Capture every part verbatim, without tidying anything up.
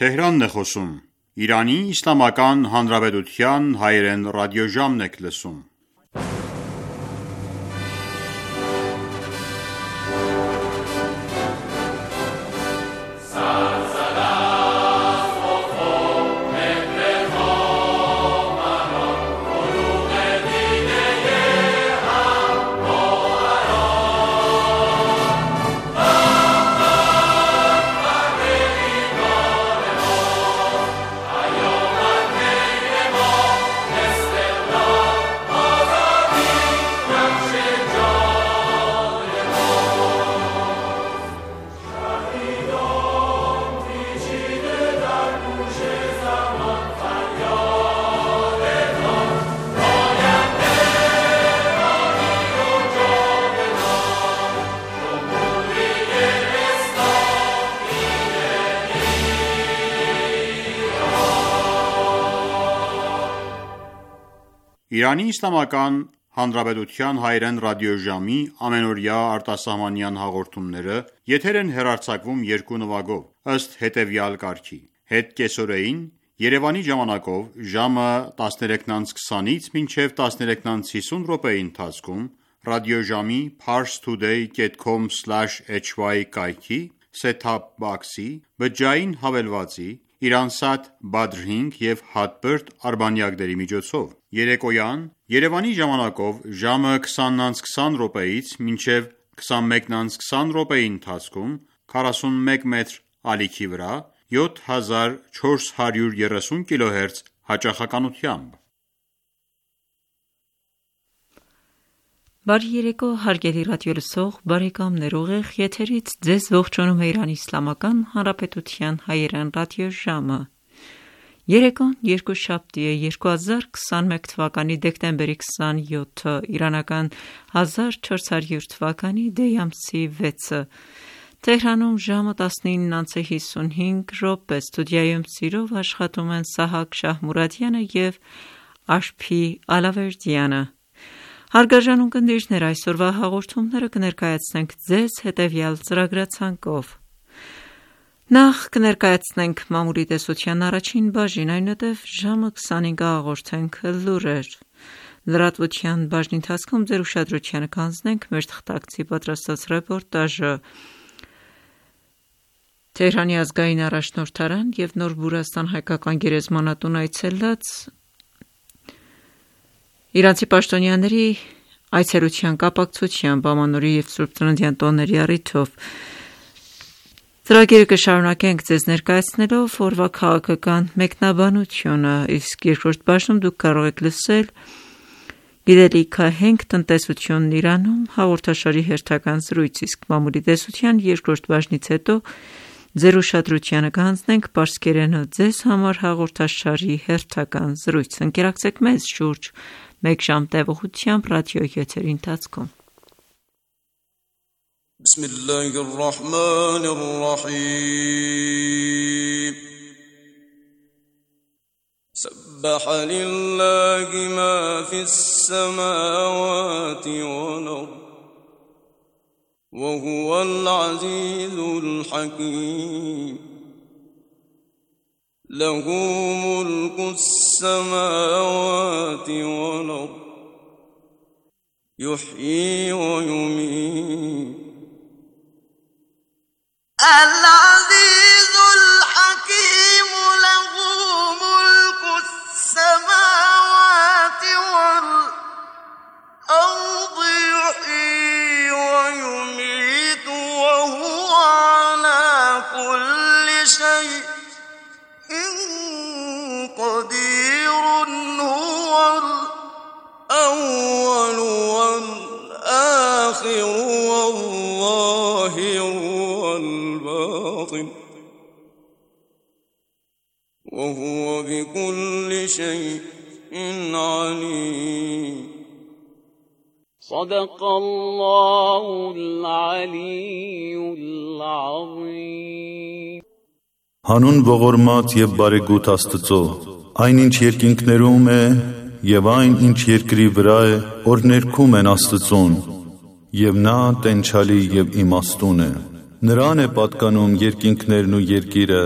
Թեհրանն է խոսում։ Իրանի Իսլամական Հանրապետության հայերեն ռադիոժամն եք լսում։ Իրանի Իսլամական Հանրապետության հայերեն ռադիոժամի ամենօրյա արտասահմանյան հաղորդումները եթեր են հեռարձակվում երկու նվագով, ըստ հետևյալ կարգի. Հետկեսօրեին Երևանի ժամանակով ժամը տասներեքն անց քսանից մինչև տասներեքն անց հիսուն րոպեի ընթացքում ռադիոժամի parstoday dot com slash h y կայքի set-top box-ի բջջային հավելվածի Իրանսատ Badr հինգ և Hotbird արբանյակների միջոցով։ Երեկոյան Երևանի ժամանակով ժամը քսանն անց քսան րոպեից մինչև քսանմեկն անց քսան րոպեի ընթացքում քառասունմեկ մետր ալիքի վրա յոթ հազար չորս հարյուր երեսուն կիլոհերց հաճախականությամբ։ Բարի երեկո հարգելի ռադիոլսող բարեկամներ, ուղիղ եթերից ձեզ ողջունում է Իրանի Իսլամական Հանրապետության հայերեն ռադիոժամը։ Երեկոն երկուշաբթի է երկու հազար քսանմեկ թվականի դեկտեմբերի քսանյոթը, իրանական հազար չորս հարյուր թվականի դեյ ամսի վեցը։ Թեհրանում ժամը տասնինն անց հիսունհինգ րոպե, ստուդիայում սիրով աշխատում են Սահակ Շահմուրադյանը և Աշփի Ալավերդյանը։ Հարգարժան ունկնդիրներ, այսօրվա հաղորդումները կներկայացնենք ձեզ հետևյալ ծրագրացանկով։ Նախ կներկայացնենք մամուլի տեսության առաջին բաժին, այնուհետև ժամը քսանհինգը հաղորդենք լուրեր։ Լրատվության բաժնի ընթացքում ձեր ուշադրությանը կհանձնենք մեր թղթակցի պատրաստած ռեպորտաժը։ Թեհրանի ազգային առաջնորդարան և Նոր Բուրաստան հայկական գերեզմանատուն այցելած իրանցի պաշտոնյաների այցելության կապակցությամբ ամանորի և Սուրբ Ծննդյան տոների առիթով ծրագիրը կշարունակենք ձեզ ներկայացնելով օրվա քաղաքական մեկնաբանությունը, իսկ երկրորդ բաժնում դուք կարող եք լսել «Գիտելիքահենք տնտեսությունն Իրանում» հաղորդաշարի հերթական զրույց, իսկ մամուլի տեսության երկրորդ բաժնից հետո ձեր ուշադրությանը կհանձնենք պարսկերենը ձեզ համար հաղորդաշարի հերթական զրույց։ Ընկերակցեք մեզ շուրջ մեկ ժամ տևողությամբ ռադիո եթերի ընթացքում։ بسم الله الرحمن الرحيم سبح لله ما في السماوات والأرض وهو العزيز الحكيم له ملك السماوات والأرض يحيي ويميت العزيز الحكيم له ملك السماوات والأرض يحيي ويميت وهو على كل شيء قدير هو الأول والآخر والظاهر والباطن وهو بكل شيء عليم صدق الله العلي العظيم Հանուն ողորմած և բարեգութ Աստծո, այն ինչ երկինքներում է և այն ինչ երկրի վրա է, որ ներքում են Աստծուն, և նա տենչալի և իմաստուն է։ Նրան է պատկանում երկինքներն ու երկիրը,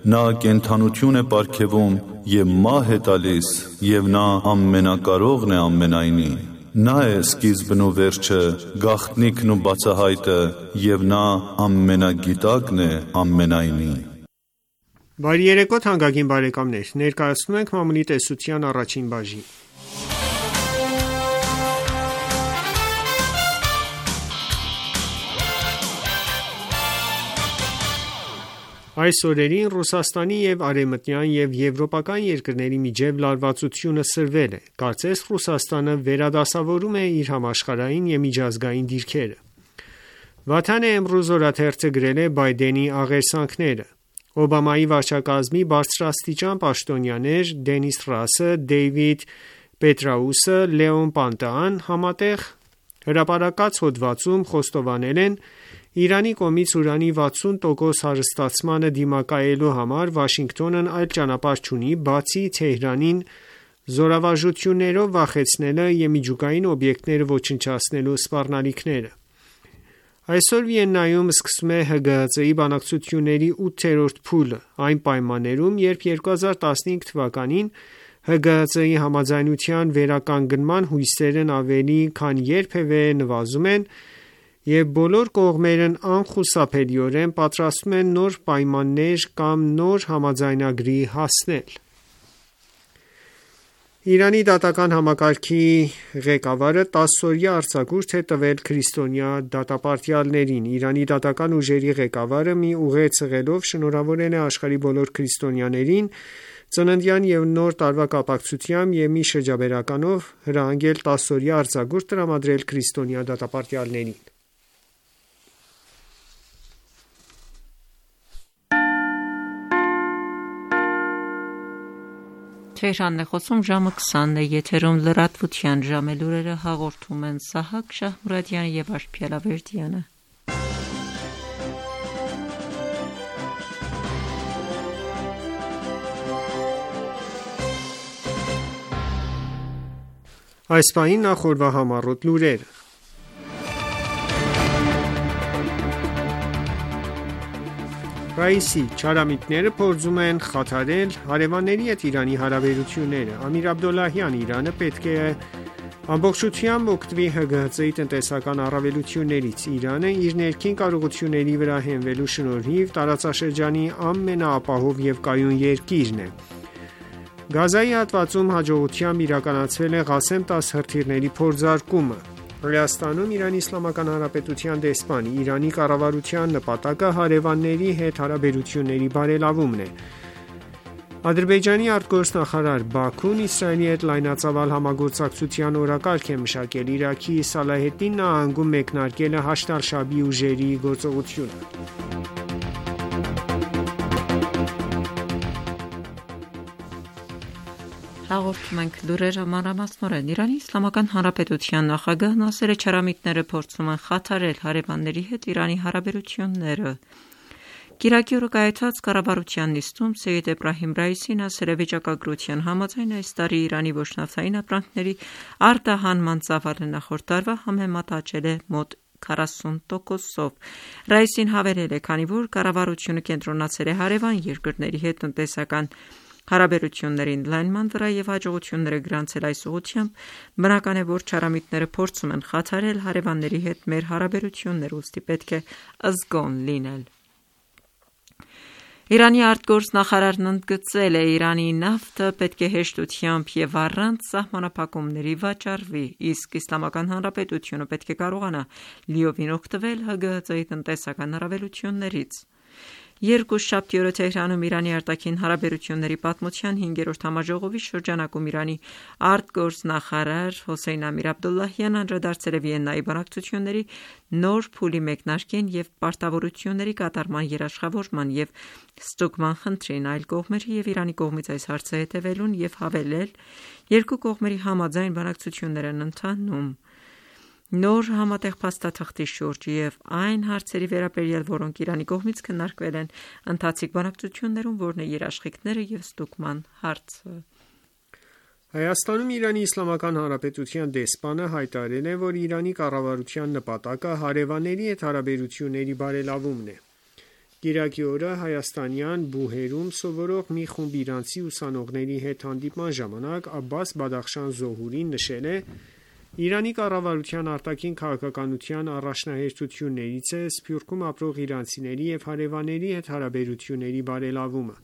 Նա կենդանություն է պարգևում և մահ է տալիս, և նա ամենակարողն է ամենայնի։ Նա է սկիզբն ու վերջը, գաղտնիքն ու բացահայտը, և նա ամենագիտակն է ամենայնի։ Բարի երեկո թանկագին բարեկամներ, ներկայացնում ենք մամուլի տեսության առաջին բաժին։ Այս օրերին Ռուսաստանի և արևմտյան և եվրոպական երկրների միջև լարվածությունը սրվել է։ Կարծես Ռուսաստանը վերադասավորում է իր համաշխարհային և միջազգային դիրքերը։ Վաթան Էմրուզ օրաթերթը գրել է Բայդենի աղերսանքները։ Օբամայի վարչակազմի բարձրաստիճան պաշտոնյաներ Դենիս Ռասը, Դեյվիդ Պետրաուսը, Լեոն Պանտեան համատեղ հրապարակած հոդվածում խոստովանել են Իրանի կողմից ուրանի վաթսուն տոկոս հարստացմանը դիմակայելու համար Վաշինգտոնն այլ ճանապարհ չունի, բացի Թեհրանին զորավարժություններով վախեցնելը և միջուկային օբյեկտները ոչնչացնելու սպառնալիքները։ Այսօր Վիեննայում սկսվում է ՀԳՀԾ-ի բանակցությունների ութերորդ փուլը, այն պայմաններում, երբ երկու հազար տասնհինգ թվականին ՀԳՀԾ-ի համաձայնության վերականգնման հույսերն ավելի քան երբևէ նվազում են, և բոլոր կողմերն անխուսափելիորեն պատրաստվում են նոր պայմաններ կամ նոր համաձայնագրի հասնել։ Իրանի դատական համակարգի ղեկավարը տասօրյա արձակուրդ է տվել քրիստոնյա դատապարտյալներին։ Իրանի դատական ուժերի ղեկավարը մի ուղերձ հղելով շնորհավորել է աշխարհի բոլոր քրիստոնյաներին ծննդյան և նոր տարվա կապակցությամբ և մի շրջաբերականով հրահանգել տասօրյա արձակուրդ տրամադրել քրիստոնյա դատապարտյալներին։ Թեհրանն է խոսում, ժամը քսանն է, եթերում լրատվության ժամ է, լուրերը հաղորդում են Սահակ Շահմուրադյանը և Աշխիել Ավերդյանը։ Այս պահին նախ օրվա համառոտ լուրերը։ Ռաիսի չարամիտները փորձում են խաթարել հարևանների հետ Իրանի հարաբերությունները։ Ամիր Աբդոլլահյան Իրանը պետք է ամբողջությամբ օգտվի ՀԳՀԾ-ի տնտեսական առավելություններից։ Իրանը իր ներքին կարողությունների վրա հենվելու շնորհիվ տարածաշրջանի ամենաապահով և կայուն երկիրն է։ Գազայի հատվածում հաջողությամբ իրականացվել է Ղասեմ տաս հրթիռների փորձարկումը։ Վրաստանում Իրանի Իսլամական Հանրապետության դեսպանի Իրանի կառավարության նպատակը հարևանների հետ հարաբերությունների բարելավումն է։ Ադրբեջանի արտգործնախարար Բաքուն Իսրայելի հետ լայնածավալ համագործակցության օրակարգ է մշակել։ Իրաքի Սալահեդդին նահանգում մեկնարկել է Հաշդ ալ-Շաաբի ուժերի գործողությունը։ Հաղորդում ենք լուրերը մանրամասնորեն։ Իրանի Իսլամական Հանրապետության նախագահ Նասեր Չարամիտները փորձում են խաթարել հարևանների հետ Իրանի հարաբերությունները։ Կիրակի օրը կայացած կառավարության նիստում Սեյեդ Էբրահիմ Ռայիսին ասել է վիճակագրության համաձայն այս տարի Իրանի ոչնավթային ապրանքների արտահանման ծավալը նախորդ տարվա համեմատ աճել է մոտ քառասուն տոկոսով։ Ռայիսին հավելել է, քանի որ կառավարությունը կենտրոնացել է հարևան երկրների հետ տնտեսական հարաբերությունների ընդլայնման վրա և հաջողությունները գրանցել այս ուղղությամբ, բնական է, որ չարամիտները փորձում են խաթարել հարևանների հետ մեր հարաբերությունները, ուստի պետք է զգոն լինել։ Իրանի արտգործնախարարն ընդգծել է, Իրանի նավթը պետք է հեշտությամբ և առանց սահմանափակումների վաճառվի, իսկ Իսլամական Հանրապետությունը պետք է կարողանա լիովին օգտվել ՀԳՀԾ-ի տնտեսական առավելություններից։ Երկուշաբթի օրը Թեհրանում Իրանի արտաքին հարաբերությունների պատմության հինգերորդ համաժողովի շրջանակում Իրանի արտգործնախարար Հոսեյն Ամիր Աբդոլլահյանն անդրադարձել է Վիեննայի բանակցությունների նոր փուլի մեկնարկին և պարտավորությունների կատարման երաշխավորման և ստուգման խնդրին, այլ կողմերի և Իրանի կողմից այս հարցը հետևելուն և հավելել, երկու կողմերի համաձայն բանակցություններ են ընթանում նոր համատեղ փաստաթղթի շուրջ և այն հարցերի վերաբերյալ, որոնք Իրանի կողմից քննարկվել են ընթացիկ բանակցություններում, որն է երաշխիքները և ստուգման հարցը։ Հայաստանում Իրանի Իսլամական Հանրապետության դեսպանը հայտարարել է, որ Իրանի կառավարության նպատակը հարևանների հետ հարաբերությունների բարելավումն է։ Կիրակի օրը հայաստանյան Բուհերում սովորող մի խումբ իրանցի ուսանողների հետ հանդիպման ժամանակ Աբբաս Բադախշան Զոհուրին նշել է. «Իրանի կառավարության արտաքին քաղաքականության առաջնահերթություններից է Սփյուռքում ապրող իրանցիների և հարևանների հետ հարաբերությունների բարելավումը»։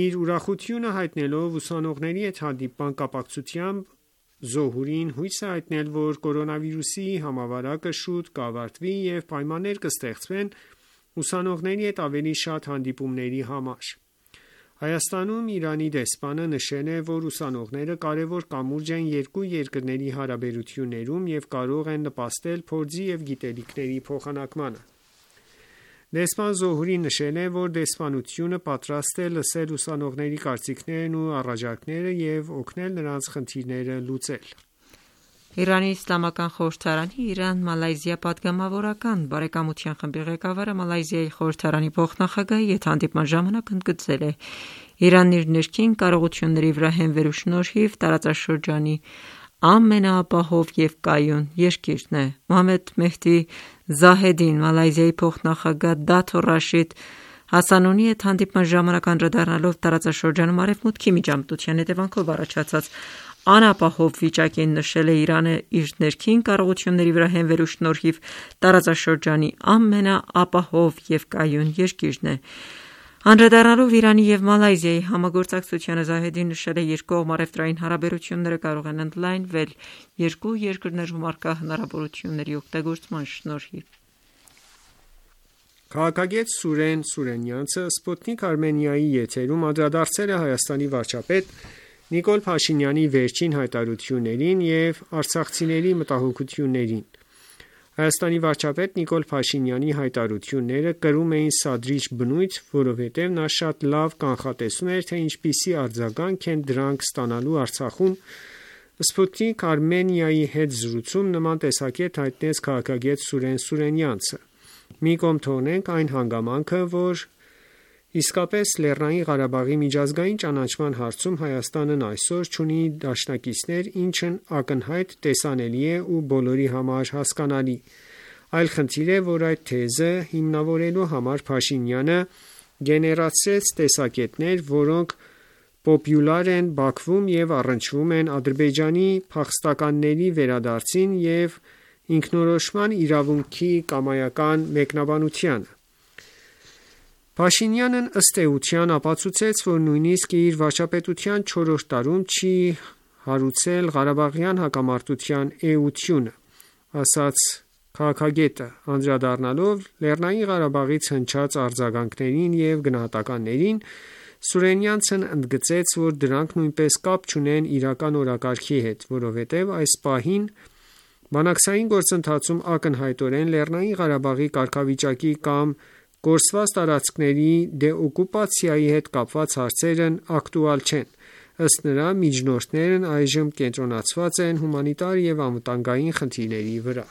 Իր ուրախությունը հայտնելով ուսանողների հետ հանդիպման կապակցությամբ Զոհուրին հույս է հայտնել, որ կորոնավիրուսի համավարակը շուտ կավարտվի և պայմաններ կստեղծվեն ուսանողների հետ ավելի շատ հանդիպումների համար։ Հայաստանում Իրանի դեսպանը նշել է, որ ուսանողները կարևոր կամուրջ են երկու երկրների հարաբերություններում և կարող են նպաստել փորձի և գիտելիքների փոխանակմանը։ Դեսպան Զոհուրին նշել է, որ դեսպանությունը պատրաստ է լսել ուսանողների կարծիքներն ու առաջարկները և օգնել նրանց խնդիրները լուծել։ Իրանի Իսլամական խորհրդարանի Իրան-Մալայզիա պատգամավորական բարեկամության խմբի ղեկավարը Մալայզիայի խորհրդարանի փոխնախագահի հետ հանդիպման ժամանակ ընդգծել է. «Իրանն իր ներքին կարողությունների վրա հենվելու շնորհիվ տարածաշրջանի ամենաապահով և կայուն երկիրն է»։ Մոհամմեդ Մեհդի Զահեդին Մալայզիայի փոխնախագահ Դաթո Ռաշիդ Հասանոնի հետ հանդիպման ժամանակ անդրադառնալով տարածաշրջանում Արևմուտքի միջամտության հետևանքով առաջացած անապահով վիճակին, նշել է Իրանը իր ներքին կարողությունների վրա հենվելու շնորհիվ տարածաշրջանի ամենաապահով և կայուն երկիրն է։ Անդրադառնալով Իրանի և Մալայզիայի համագործակցությանը, Զահեդին նշել է երկկողմ առևտրային հարաբերությունները կարող են ընդլայնվել երկու երկրներում առկա հնարավորությունների օգտագործման շնորհիվ։ Քաղաքագետ Սուրեն Սուրենյանցը Սպուտնիկ Արմենիայի եթերում անդրադարձել է Հայաստանի վարչապետ Նիկոլ Փաշինյանի վերջին հայտարարություններին և արցախցիների մտահոգություններին։ Հայաստանի վարչապետ Նիկոլ Փաշինյանի հայտարարությունները կրում էին սադրիչ բնույթ, որովհետև նա շատ լավ կանխատեսում էր, թե ինչպիսի արձագանք են դրանք ստանալու Արցախում։ Սպուտնիկ Արմենիայի հետ զրույցում նման տեսակետ հայտնեց քաղաքագետ Սուրեն Սուրենյանցը։ Մի կողմ թողնենք այն հանգամանքը, որ իսկապես Լեռնային Ղարաբաղի միջազգային ճանաչման հարցում Հայաստանն այսօր չունի դաշնակիցներ, ինչն ակնհայտ տեսանելի է ու բոլորի համար հասկանալի։ Այլ խնդիր է, որ այդ թեզը հիմնավորելու համար Փաշինյանը գեներացրեց տեսակետներ, որոնք պոպուլյար են Բաքվում և առնչվում են Ադրբեջանի փախստականների վերադարձին և ինքնորոշման իրավունքի կամայական մեկնաբանությանը։ Փաշինյանն ըստ էության ապացուցեց, որ նույնիսկ իր վարչապետության չորրորդ տարում չի հարուցել Ղարաբաղյան հակամարտության էությունը, ասաց քաղաքագետը, անդրադառնալով Լեռնային Ղարաբաղից հնչած արձագանքներին և գնահատականներին։ Սուրենյանցն ընդգծեց, որ դրանք նույնպես կապ չունեն իրական օրակարգի հետ, որովհետև այս պահին բանակցային գործընթացում ակնհայտորեն Լեռնային Ղարաբաղի կարգավիճակի կամ կորսված տարածքների դեօկուպացիայի հետ կապված հարցերն ակտուալ չեն։ Ըստ նրա, միջնորդներն այժմ կենտրոնացված են հումանիտար և անվտանգային խնդիրների վրա։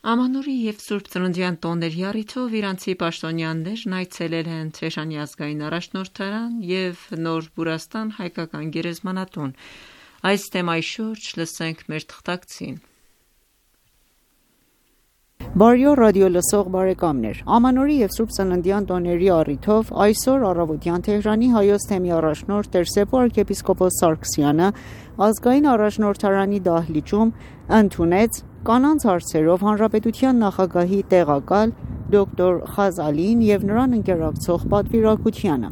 Ամանորի և Սուրբ Ծննդյան տոների առիթով իրանցի պաշտոնյաներն այցելել են Թեհրանի ազգային առաջնորդարան և Նոր Բուրաստան հայկական գերեզմանատուն։ Այս թեմայի շուրջ լսենք մեր թղթակցին։ Բարյո ռադիո լսող բարեկամներ, Ամանորի և Սուրբ Ծննդյան տոների առիթով այսօր առավոտյան Թեհրանի հայոց թեմի առաջնորդ Տեր-Սեփու arczepiskopos Սարգսյանը ազգային առաջնորդարանի դահլիճում ընդունեց կանանց հարցերով հանրապետության նախագահի տեղակալ դոկտոր Խազալին և նրան ընկերակցող պատվիրակությանը։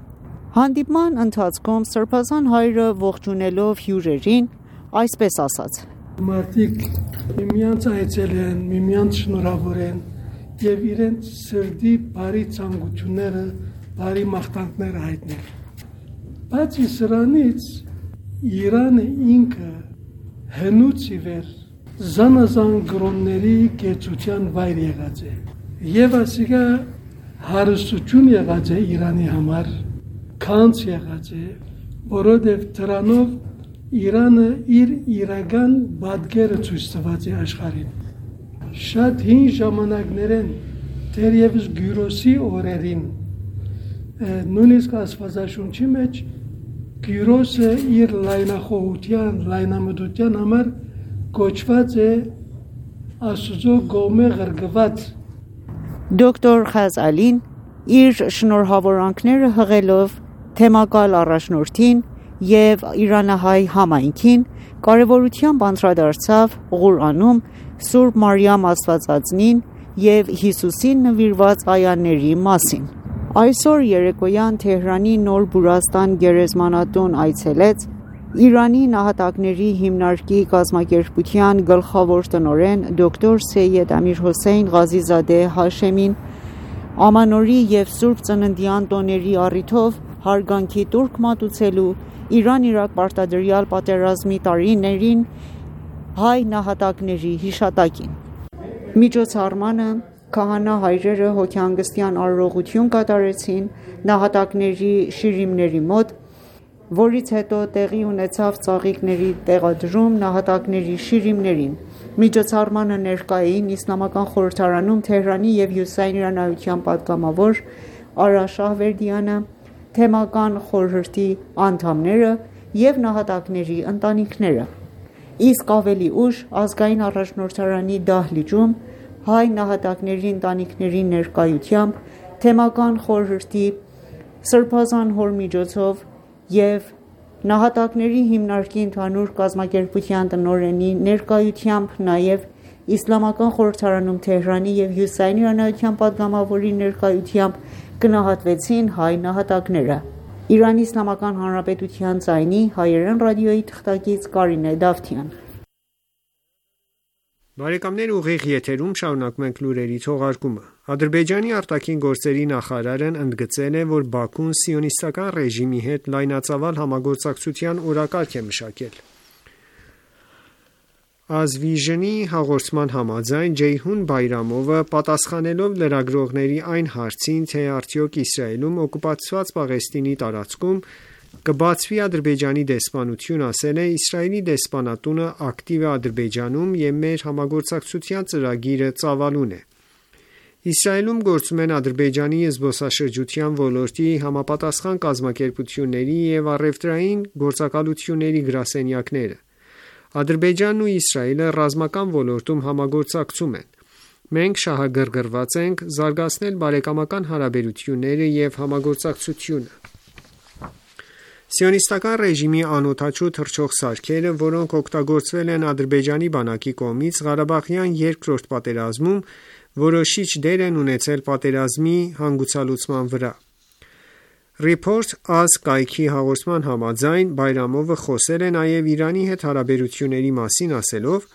Հանդիպման ընթացքում Սրբազան հայրը ողջունելով հյուրերին այսպես ասաց. Մարդիկ միմյանց այցել են, միմյանց շնորհավոր են և իրենց սրտի բարի ցանկությունները, բարի մաղթանքները հայտնել։ Բացի սրանից Իրանը ինքը հնուց ի վեր զանազան գրոնների կեցության վայր եղած է և ասիկա հարստություն եղած է Իրանի համար, քանց եղած է, որովհետև դրանով Իրանը իր իրական բادگերը ցույց տված է աշխարհին։ Շատ հին ժամանակներեն դեռևս Գյուրոսի օրերին նույնիսկ Աստվածաշունչի մեջ Գյուրոսը իր լայնախոհության, լայնամտության համար կոչված է Աստուծո գոմե ղրգված։ Դոկտոր Խազալին իր շնորհավորանքները հղելով թեմակալ առաջնորդին եւ իրանահայ համայնքին կարևորությամբ անդրադարձավ Ղուրանում Սուրբ Մարիամ Աստվածածնին եւ Հիսուսին նվիրված այաների մասին։ Այսօր երեկոյան Թեհրանի Նոր Բուրաստան գերեզմանատուն այցելեց Իրանի նահատակների հիմնարկի կազմակերպության գլխավոր տնօրեն դոկտոր Սեյեդ Ամիր Հոսեյն Ղազիզադե Հաշեմին Ամանորի եւ Սուրբ Ծննդյան տոների առիթով հարգանքի տուրք մատուցելու Իրան-Իրաք պարտադրյալ պատերազմի տարիներին հայ նահատակների հիշատակին։ Միջոցառմանը քահանա հայրերը հոգեհանգստյան արարողություն կատարեցին նահատակների շիրիմների մոտ, որից հետո տեղի ունեցավ ծաղիկների տեղադրում նահատակների շիրիմներին։ Միջոցառմանը ներկա էին Իսլամական խորհրդարանում Թեհրանի եւ Հյուսիսային Իրանայության պատգամավոր Արա Շահվերդյանը, թեմական խորհրդի անդամները եւ նահատակների ընտանիքները։ Իսկ ավելի ուշ ազգային առաջնորդարանի դահլիճում հայ նահատակների ընտանիքների ներկայությամբ թեմական խորհրդի սրբազան հոր միջոցով եւ նահատակների հիմնարկի ընդհանուր կազմակերպության տնօրենի ներկայությամբ նաեւ Իսլամական խորհրդարանում Թեհրանի եւ Հյուսիսային Իրանայության պատգամավորի ներկայությամբ գնահատվեցին հայ նահատակները։ Իրանի Իսլամական Հանրապետության ձայնի հայերեն ռադիոյի թղթակից Կարինե Դավթյան։ Բարեկամներ, ուղիղ եթերում շարունակում ենք լուրերի թողարկումը։ Ադրբեջանի արտաքին գործերի նախարարն ընդգծել է, որ Բաքուն սիոնիստական ռեժիմի հետ լայնածավալ համագործակցության օրակարգ է մշակել։ Ազվիժնի հաղորդման համաձայն Ջեյհուն Բայրամովը պատասխանելով լրագրողների այն հարցին, թե արդյոք Իսրայելում օկուպացված Պաղեստինի տարածքում կբացվի Ադրբեջանի դեսպանություն, ասել է. Իսրայելի դեսպանատունը ակտիվ է Ադրբեջանում եւ մեր համագործակցության ծրագիրը ծավալուն է։ Իսրայելում գործում են Ադրբեջանի զբոսաշրջության ոլորտի համապատասխան կազմակերպությունների եւ առևտրային գործակալությունների գրասենյակները։ Ադրբեջանն ու Իսրայելը ռազմական ոլորտում համագործակցում են։ Մենք շահագրգռված ենք զարգացնել բարեկամական հարաբերությունները եւ համագործակցությունը։ Սիոնիստական ռեժիմի անօդաչու թռչող սարքերը, որոնք օգտագործվել են Ադրբեջանի բանակի կողմից Ղարաբաղյան երկրորդ պատերազմում, որոշիչ դեր են ունեցել պատերազմի հանգուցալուծման վրա։ Report Az կայքի հաղորդման համաձայն Բայրամովը խոսել է նաև Իրանի հետ հարաբերությունների մասին, ասելով.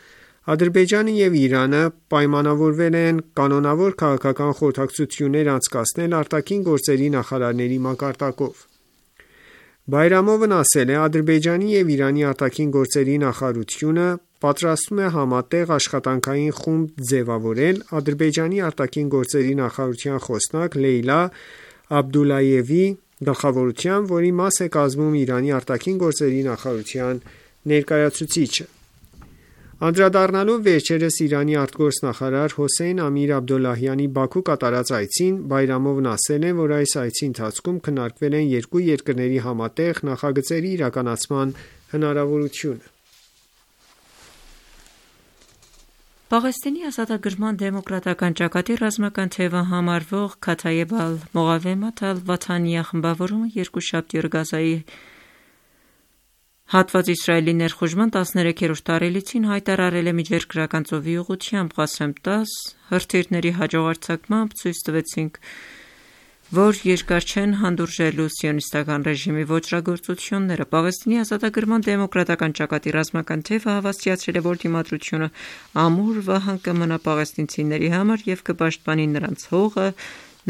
Ադրբեջանը եւ Իրանը պայմանավորվել են կանոնավոր քաղաքական խորհրդակցություններ անցկացնել արտաքին գործերի նախարարների մակարդակով։ Բայրամովն ասել է. Ադրբեջանի եւ Իրանի արտաքին գործերի նախարարությունը պատրաստվում է համատեղ աշխատանքային խումբ ձևավորել Ադրբեջանի արտաքին գործերի նախարարության խոսնակ Լեյլա Աբդուլայևի գլխավորությամբ, որի մաս է կազմում Իրանի արտաքին գործերի նախարարության ներկայացուցիչը։ Անդրադառնալով վերջերս Իրանի արտգործնախարար Հոսեյն Ամիր Աբդոլլահյանի Բաքու կատարած այցին, Բայրամովն ասել է, որ այս այցի ընթացքում քննարկվել են երկու երկրների համատեղ նախագծերի իրականացման հնարավորությունը։ Պաղեստինի ազատագրման դեմոկրատական ճակատի ռազմական թևը համարվող Քաթայեբ ալ-Մողավեմաթ ալ-Վաթանիա խմբավորումը երկուշաբթի օր Գազայի հատված Իսրայելի ներխուժման տասներեքերորդ տարելիցին հայտարարել է միջերկրական ծովի ուղղությամբ Ղասեմ տաս հրթիռների հաջող արձակմամբ ցույց տվեցինք, որ երկար չեն հանդուրժելու սիոնիստական ռեժիմի ոճրագործությունները։ Պաղեստինի ազատագրման դեմոկրատական ճակատի ռազմական թևը հավաստիացրել է, որ դիմադրությունը ամուր վահան կմնա պաղեստինցիների համար եւ կպաշտպանի նրանց հողը,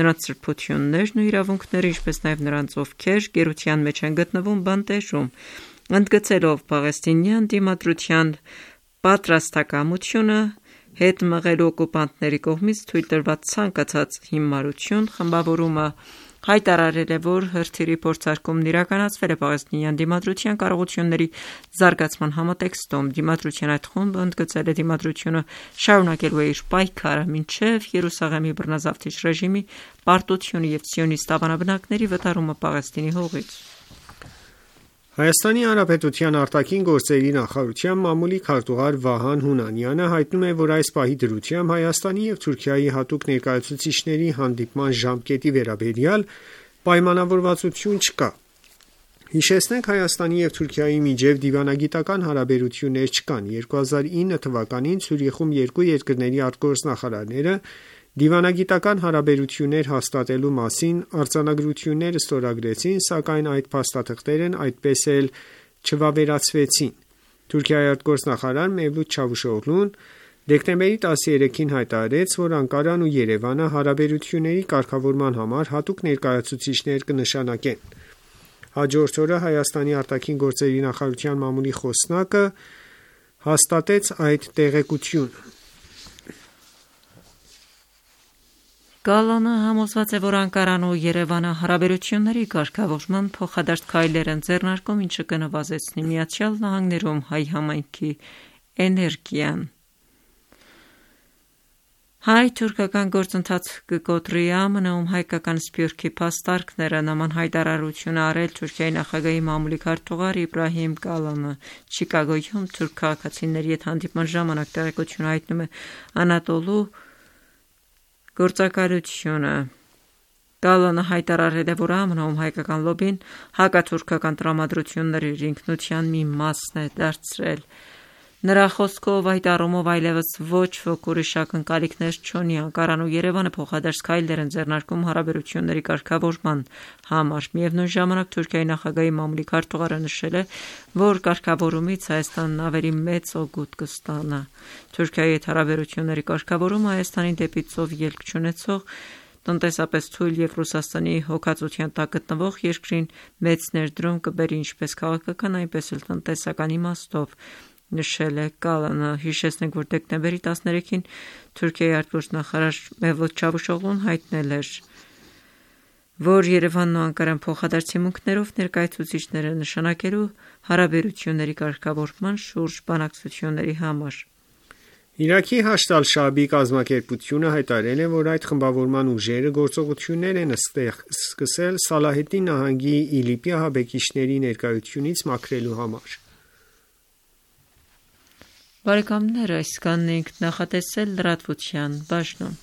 նրանց սրբություններն ու իրավունքները, ինչպես նաեւ նրանց, ովքեր գերության մեջ են գտնվում բանտեժում, ընդգծելով պաղեստինյան դիմադրության պատրաստակամությունը հետ մղելու օկուպանտների կողմից թույլ տրված ցանկացած հիմարություն, խմբավորումը հայտարարել է, որ հրթիռի փորձարկումն իրականացվել է պաղեստինյան դիմադրության կարողությունների զարգացման համատեքստում։ Դիմադրության այդ խումբը ընդգծել է դիմադրությունը շարունակելու է իր պայքարը մինչև Երուսաղեմի բռնազավթիչ ռեժիմի պարտությունը եւ սիոնիստ ավանաբնակների վտարումը Պաղեստինի հողից։ Հայաստանի Հանրապետության արտաքին գործերի նախարարության մամուլի քարտուղար Վահան Հունանյանը հայտնում է, որ այս պահի դրությամբ Հայաստանի և Թուրքիայի հատուկ ներկայացուցիչների հանդիպման ժամկետի վերաբերյալ պայմանավորվածություն չկա։ Հիշեցնենք, Հայաստանի և Թուրքիայի միջև դիվանագիտական հարաբերություններ չկան։ երկու հազար ինը թվականին Ցյուրիխում երկու երկրների արտգործնախարարները դիվանագիտական հարաբերություններ հաստատելու մասին արձանագրություններ ստորագրեցին, սակայն այդ փաստաթղթերն այդպես էլ չվավերացվեցին։ Թուրքիայի արտգործնախարար Մևլութ Չավուշօղլուն դեկտեմբերի տասներեքին հայտարարեց, որ Անկարան ու Երևանը հարաբերությունների կարգավորման համար հատուկ ներկայացուցիչներ կնշանակեն։ Հաջորդ օրը Հայաստանի արտաքին գործերի նախարարության մամուլի խոսնակը հաստատեց այդ տեղեկությունը։ Գալանը համոզված է, որ Անկարան ու Երևանը հարաբերությունների կարգավորման փոխադարձ քայլեր են ձեռնարկում, ինչը կնվազեցնի Միացյալ Նահանգներում հայ համայնքի էներգիան։ Հայ-թուրքական գործընթաց կկոտրի ԱՄՆ-ում հայկական սփյուռքի փաստարկները նման հայտարարություն է արել Թուրքիայի նախագահի մամուլի քարտուղար Իբրահիմ Կալանը։ Չիկագոյում թուրք քաղաքացիների հետ հանդիպման ժամանակ տեղեկություն հայտնում է Անատոլու գործակալությունը։ Կալանը հայտարարել է, որ ԱՄՆ-ում հայկական լոբին հակաթուրքական տրամադրությունների իր ինքնության մի մասն է դարձրել։ Նրա խոսքով այդ առումով այլևս ոչ ոք ուրիշ ակնկալիքներ չունի։ Անկարան ու Երևանը փոխադարձ քայլեր են ձեռնարկում հարաբերությունների կարգավորման համար։ Միևնույն ժամանակ Թուրքիայի նախագահի մամուլի քարտուղարը նշել է, որ կարգավորումից Հայաստանն ավելի մեծ օգուտ կստանա։ Թուրքիայի հետ հարաբերությունների կարգավորումը Հայաստանին դեպի ծով ելք չունեցող, տնտեսապես թույլ և Ռուսաստանի հոգացության տակ գտնվող երկրին մեծ ներդրում կբերի ինչպես քաղաքական, այնպես էլ տնտեսական իմաստով, նշել է Կալանը։ Հիշեցնենք, որ դեկտեմբերի տասներեքին Թուրքիայի արտգործնախարար Մևլութ Չավուշօղլուն հայտնել էր, որ Երևանն ու Անկարան փոխադարձ հիմունքներով ներկայացուցիչներ են նշանակելու հարաբերությունների կարգավորման շուրջ բանակցությունների համար։ Իրաքի Հաշդ ալ-Շաաբի կազմակերպությունը հայտարարել է, որ այդ խմբավորման ուժերը գործողություններ են սկսել Սալահեդդին նահանգի Իլիպի ահաբեկիչների ներկայությունից մաքրելու համար։ Բարեկամներ, այսքանն ենք նախատեսել լրատվության բաժնում։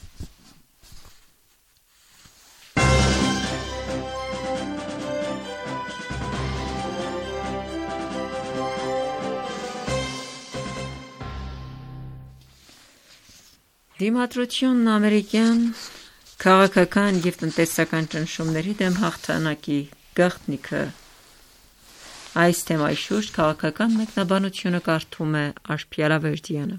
Դիմադրությունն ամերիկյան քաղաքական և տնտեսական ճնշումների դեմ հաղթանակի գաղտնիքը։ Այս թեմայի շուրջ քաղաքական մեկնաբանությունը կարդում է Արփի Արավերդյանը։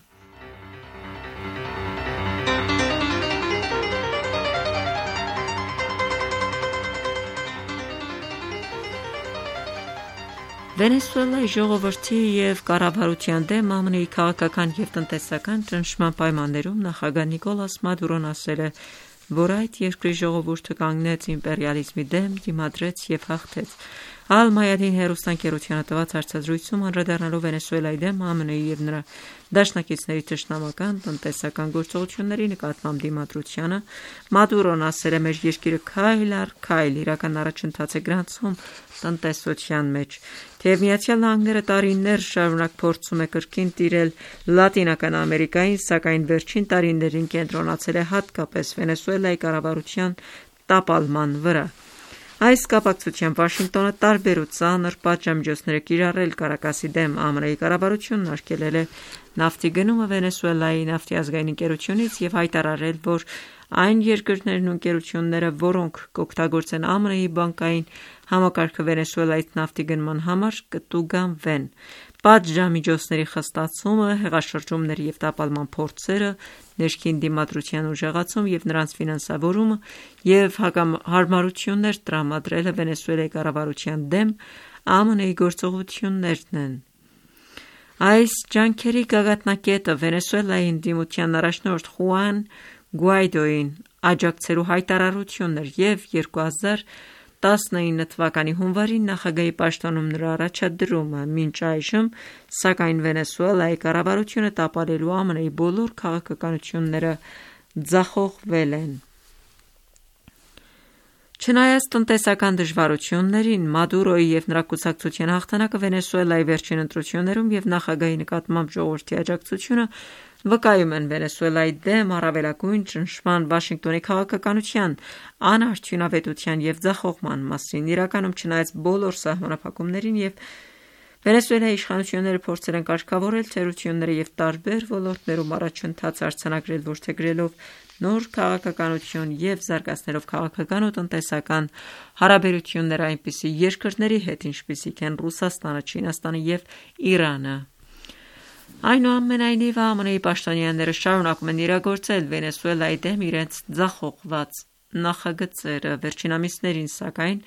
Վենեսուելայի ժողովրդի և կառավարության դեմ ԱՄՆ-ի քաղաքական և տնտեսական ճնշման պայմաններում նախագահ Նիկոլաս Մադուրոն ասել է, որ այդ երկրի ժողովուրդը կանգնեց իմպերիալիզմի դեմ, դիմադրեց և հաղթեց։ Ալ-Մայադին հեռուստաընկերությանը տված հարցազրույցում անդրադառնալով Վենեսուելայի դեմ ԱՄՆ-ի և նրա դաշնակիցների թշնամական տնտեսական գործողությունների նկատմամբ դիմադրությանը, Մադուրոն ասել է. «Մեր երկիրը քայլ առ քայլ իրական առաջընթաց է գրանցում տնտեսության մեջ։ Թեև Միացյալ Նահանգները տարիներ շարունակ փորձում է կրկին տիրել Լատինական Ամերիկային, սակայն վերջին տարիներին կենտրոնացել է հատկապես Վենեսուելայի կառավարության տապալման վրա։ Այս կապակցությամբ Վաշինգտոնը տարբեր ու ծանր պատժամիջոցներ է կիրառել Կարակասի դեմ։ ԱՄՆ-ի կառավարությունն արգելել է նավթի գնումը Վենեսուելայի նավթի ազգային ընկերությունից և հայտարարել, որ այն երկրներն ու ընկերությունները, որոնք կօգտագործեն ԱՄՆ-ի բանկային համակարգը Վենեսուելայից նավթի գնման համար, կտուգանվեն։ Պատժամիջոցների խստացումը, հեղաշրջումների և տապալման փորձերը, ներքին դիմադրության ուժեղացում և նրանց ֆինանսավորումը և հարմարություններ տրամադրելը Վենեսուելայի կառավարության դեմ ԱՄՆ-ի գործողություններն են։ Այս ջանքերի գագաթնակետը Վենեսուելայի ընդդիմության առաջնորդ Խուան Գուայդոյին աջակցելու հայտարարությունն էր և երկու հազար տասնինը թվականի հունվարին նախագահի պաշտոնում նրա առաջադրումը։ Մինչ այժմ, սակայն, Վենեսուելայի կառավարությունը տապալելու ԱՄՆ-ի բոլոր քաղաքականությունները ձախողվել են։ Չնայած տնտեսական դժվարություններին, Մադուրոյի և նրա կուսակցության հաղթանակը Վենեսուելայի վերջին ընտրություններում և նախագահի նկատմամբ ժողովրդի աջակցությունը վկայում են Վենեսուելայի դեմ առավելագույն ճնշման Վաշինգտոնի քաղաքականության անարդյունավետության և ձախողման մասին։ Իրականում, չնայած բոլոր սահմանափակումներին և Վենեսուելայի իշխանությունները փորձել են կարգավորել թերությունները և տարբեր ոլորտներում առաջընթաց արձանագրել որդեգրելով նոր քաղաքականություն և զարգացնելով քաղաքական ու տնտեսական հարաբերություններ այնպիսի երկրների հետ, ինչպիսիք են Ռուսաստանը, Չինաստանը և Իրանը։ Այնուամենայնիվ, ԱՄՆ-ի պաշտոնյաները շարունակում են իրագործել Վենեսուելայի դեմ իրենց ձախողված նախագծերը։ Վերջին ամիսներին, սակայն,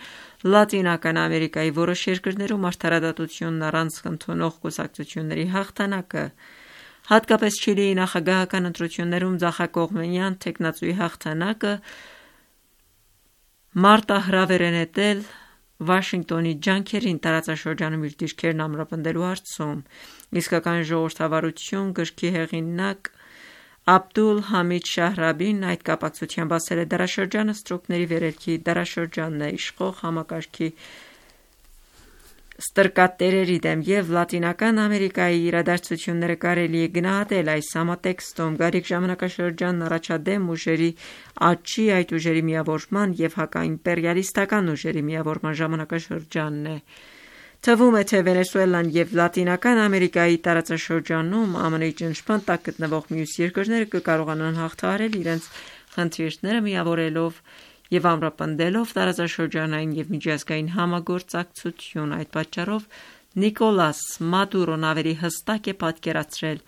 Լատինական Ամերիկայի որոշ երկրներում արդարադատությունն առանց ընդունող կուսակցությունների հաղթանակը, հատկապես Չիլիի նախագահական ընտրություններում ձախակողմենյան թեկնածուի հաղթանակը, մարտահրավեր է նետել Վաշինգտոնի ջանքերին տարածաշրջանում իր դիրքերն ամրապնդելու հարցում։ «Իսկական ժողովրդավարություն» գրքի հեղինակ Աբդուլ Համիդ Շահրաբին այդ կապակցությամբ ասել է. «Դարաշրջանը ստրուկների վերելքի դարաշրջանն է, իշխող համակարգի ստրկատերերի դեմ, և Լատինական Ամերիկայի իրադարձությունները կարելի է գնահատել այս համատեքստում։ Գարիք ժամանակաշրջանն առաջադեմ ուժերի աճի, այդ ուժերի միավորման և հակաիմպերիալիստական ուժերի միավորման ժամանակաշրջանն է։ Թվում է, թե Վենեսուելան և Լատինական Ամերիկայի տարածաշրջանում ԱՄՆ-ի ճնշման տակ գտնվող մյուս երկրները կկարողանան հաղթահարել իրենց խնդիրները միավորելով և ամրապնդելով տարածաշրջանային և միջազգային համագործակցություն։ Այդ պատճառով Նիկոլաս Մադուրոն ավելի հստակ է պատկերացրել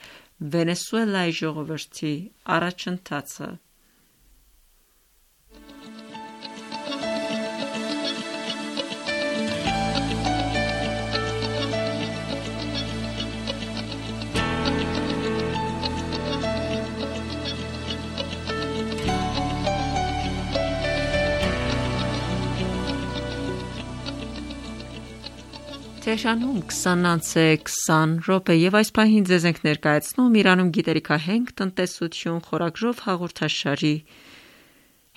Վենեսուելայի ժողովրդի առաջընթացը»։ Թեհրանում քսան անց է քսան րոպե և այս պահին ձեզ ենք ներկայացնում «Իրանում գիտելիքահենք տնտեսություն» խորագրով հաղորդաշարի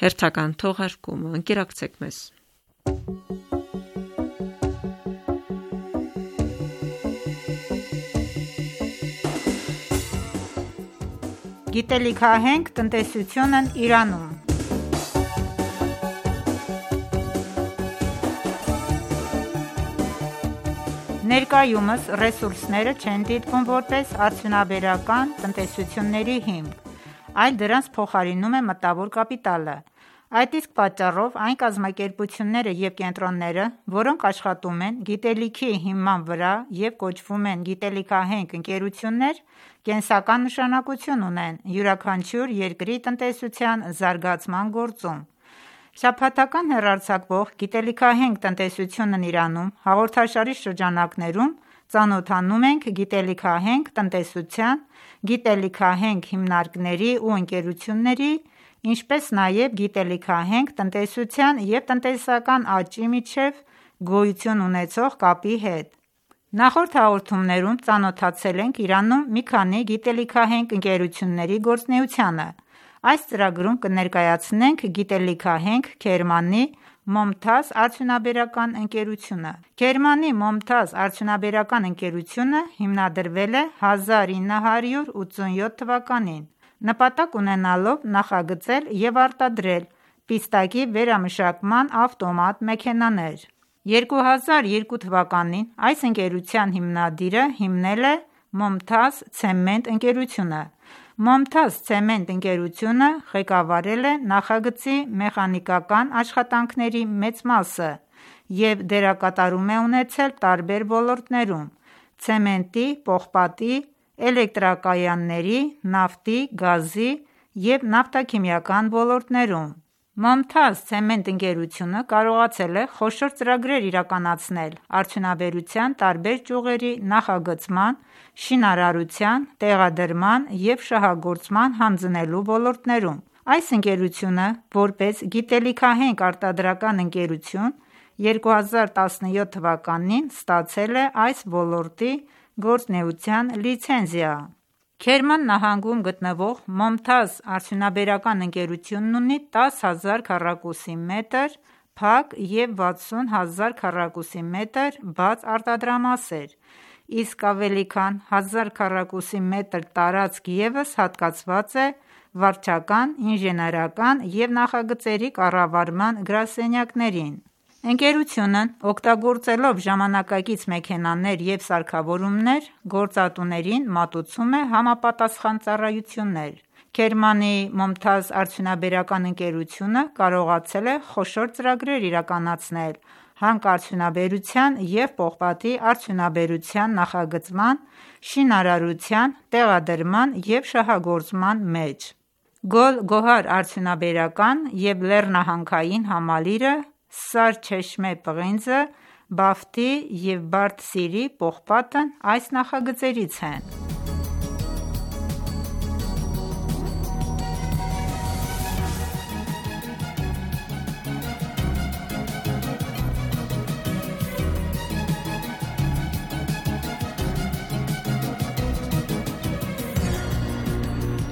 հերթական թողարկումը։ Ընկերակցեք մեզ։ Գիտելիքահենք տնտեսությունն Իրանում։ Ներկայումս ռեսուրսները չեն դիտվում որպես արդյունաբերական տնտեսությունների հիմք, այլ դրանց փոխարինում է մտավոր կապիտալը։ Այդ իսկ պատճառով այն կազմակերպությունները և կենտրոնները, որոնք աշխատում են գիտելիքի հիման վրա և կոչվում են գիտելիքահենք ընկերություններ, կենսական նշանակություն ունեն յուրաքանչյուր երկրի տնտեսության զարգացման գործում։ Շաբաթական հեռարձակվող «Գիտելիքահենք տնտեսությունն Իրանում» հաղորդաշարի շրջանակներում ծանոթանում ենք գիտելիքահենք տնտեսության, գիտելիքահենք հիմնարկների ու ընկերությունների, ինչպես նաև գիտելիքահենք տնտեսության և տնտեսական աճի միջև գոյություն ունեցող կապի հետ։ Նախորդ հաղորդումներում ծանոթացել ենք Իրանում մի քանի գիտելիքահենք ընկերությունների գործունեությանը։ Այս ծրագրում կներկայացնենք գիտելիքահենք Քերմանի Մոմթազ արդյունաբերական ընկերությունը։ Քերմանի Մոմթազ արդյունաբերական ընկերությունը հիմնադրվել է հազար ինը հարյուր ութսունյոթ թվականին, նպատակ ունենալով նախագծել և արտադրել պիստակի վերամշակման ավտոմատ մեքենաներ։ երկու հազար երկու թվականին այս ընկերության հիմնադիրը հիմնել է Մոմթազ ցեմենտ ընկերությունը։ Մոմթազ ցեմենտ ընկերությունը ղեկավարել է նախագծի մեխանիկական աշխատանքների մեծ մասը և դերակատարում է ունեցել տարբեր ոլորտներում՝ ցեմենտի, պողպատի, էլեկտրակայանների, նավթի, գազի և նավթաքիմիական ոլորտներում։ Մոմթազ ցեմենտ ընկերությունը կարողացել է խոշոր ծրագրեր իրականացնել արդյունաբերության տարբեր ճյուղերի նախագծման, շինարարության, տեղադրման և շահագործման հանձնելու ոլորտներում։ Այս ընկերությունը, որպես գիտելիքահենք արտադրական ընկերություն, երկու հազար տասնյոթ թվականին ստացել է այս ոլորտի գործունեության լիցենզիա։ Քերման նահանգում գտնվող Մոմթազ արդյունաբերական ընկերությունն ունի տասը հազար քառակուսի մետր փակ և վաթսուն հազար քառակուսի մետր բաց արտադրամասեր, իսկ ավելի քան հազար քառակուսի մետր տարածք ևս հատկացված է վարչական, ինժեներական և նախագծերի կառավարման գրասենյակներին։ Ընկերությունն օգտագործելով ժամանակակից մեքենաներ և սարքավորումներ, գործատուներին մատուցում է համապատասխան ծառայություններ։ Քերմանի Մոմթազ արդյունաբերական ընկերությունը կարողացել է խոշոր ծրագրեր իրականացնել հանքարդյունաբերության և պողպատի արդյունաբերության նախագծման, շինարարության, տեղադրման և շահագործման մեջ։ Գոլ-Գոհար արդյունաբերական և լեռնահանքային համալիրը, Սար-Չեշմե պղինձը, Բաֆտի և Բարդ Սիրի պողպատն այս նախագծերից են։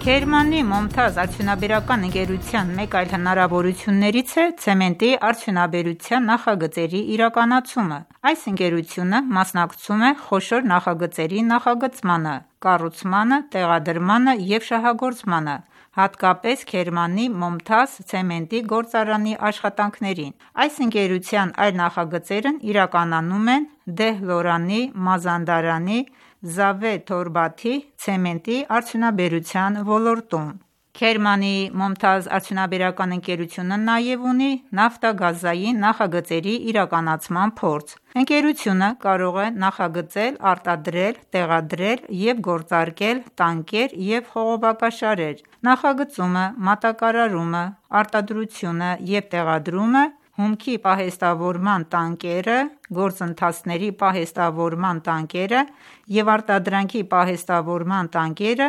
Քերմանի Մոմթազ արդյունաբերական ընկերության մեկ այլ հնարավորություններից է ցեմենտի արդյունաբերության նախագծերի իրականացումը։ Այս ընկերությունը մասնակցում է խոշոր նախագծերի նախագծմանը, կառուցմանը, տեղադրմանը և շահագործմանը, հատկապես Քերմանի Մոմթազ ցեմենտի գործարանի աշխատանքներին։ Այս ընկերության այլ նախագծերն իրականանում են Դեհլորանի, Մազանդարանի, Զավե Թորբաթի ցեմենտի արդյունաբերության ոլորտում։ Քերմանի Մոմթազ արդյունաբերական ընկերությունը նաև ունի նավթագազային նախագծերի իրականացման փորձ։ Ընկերությունը կարող է նախագծել, արտադրել, տեղադրել և գործարկել տանկեր և խողովակաշարեր, նախագծումը, մատակարարումը, արտադրությունը և տեղադրումը, հումքի պահեստավորման տանկերը, գործընթացների պահեստավորման տանկերը և արտադրանքի պահեստավորման տանկերը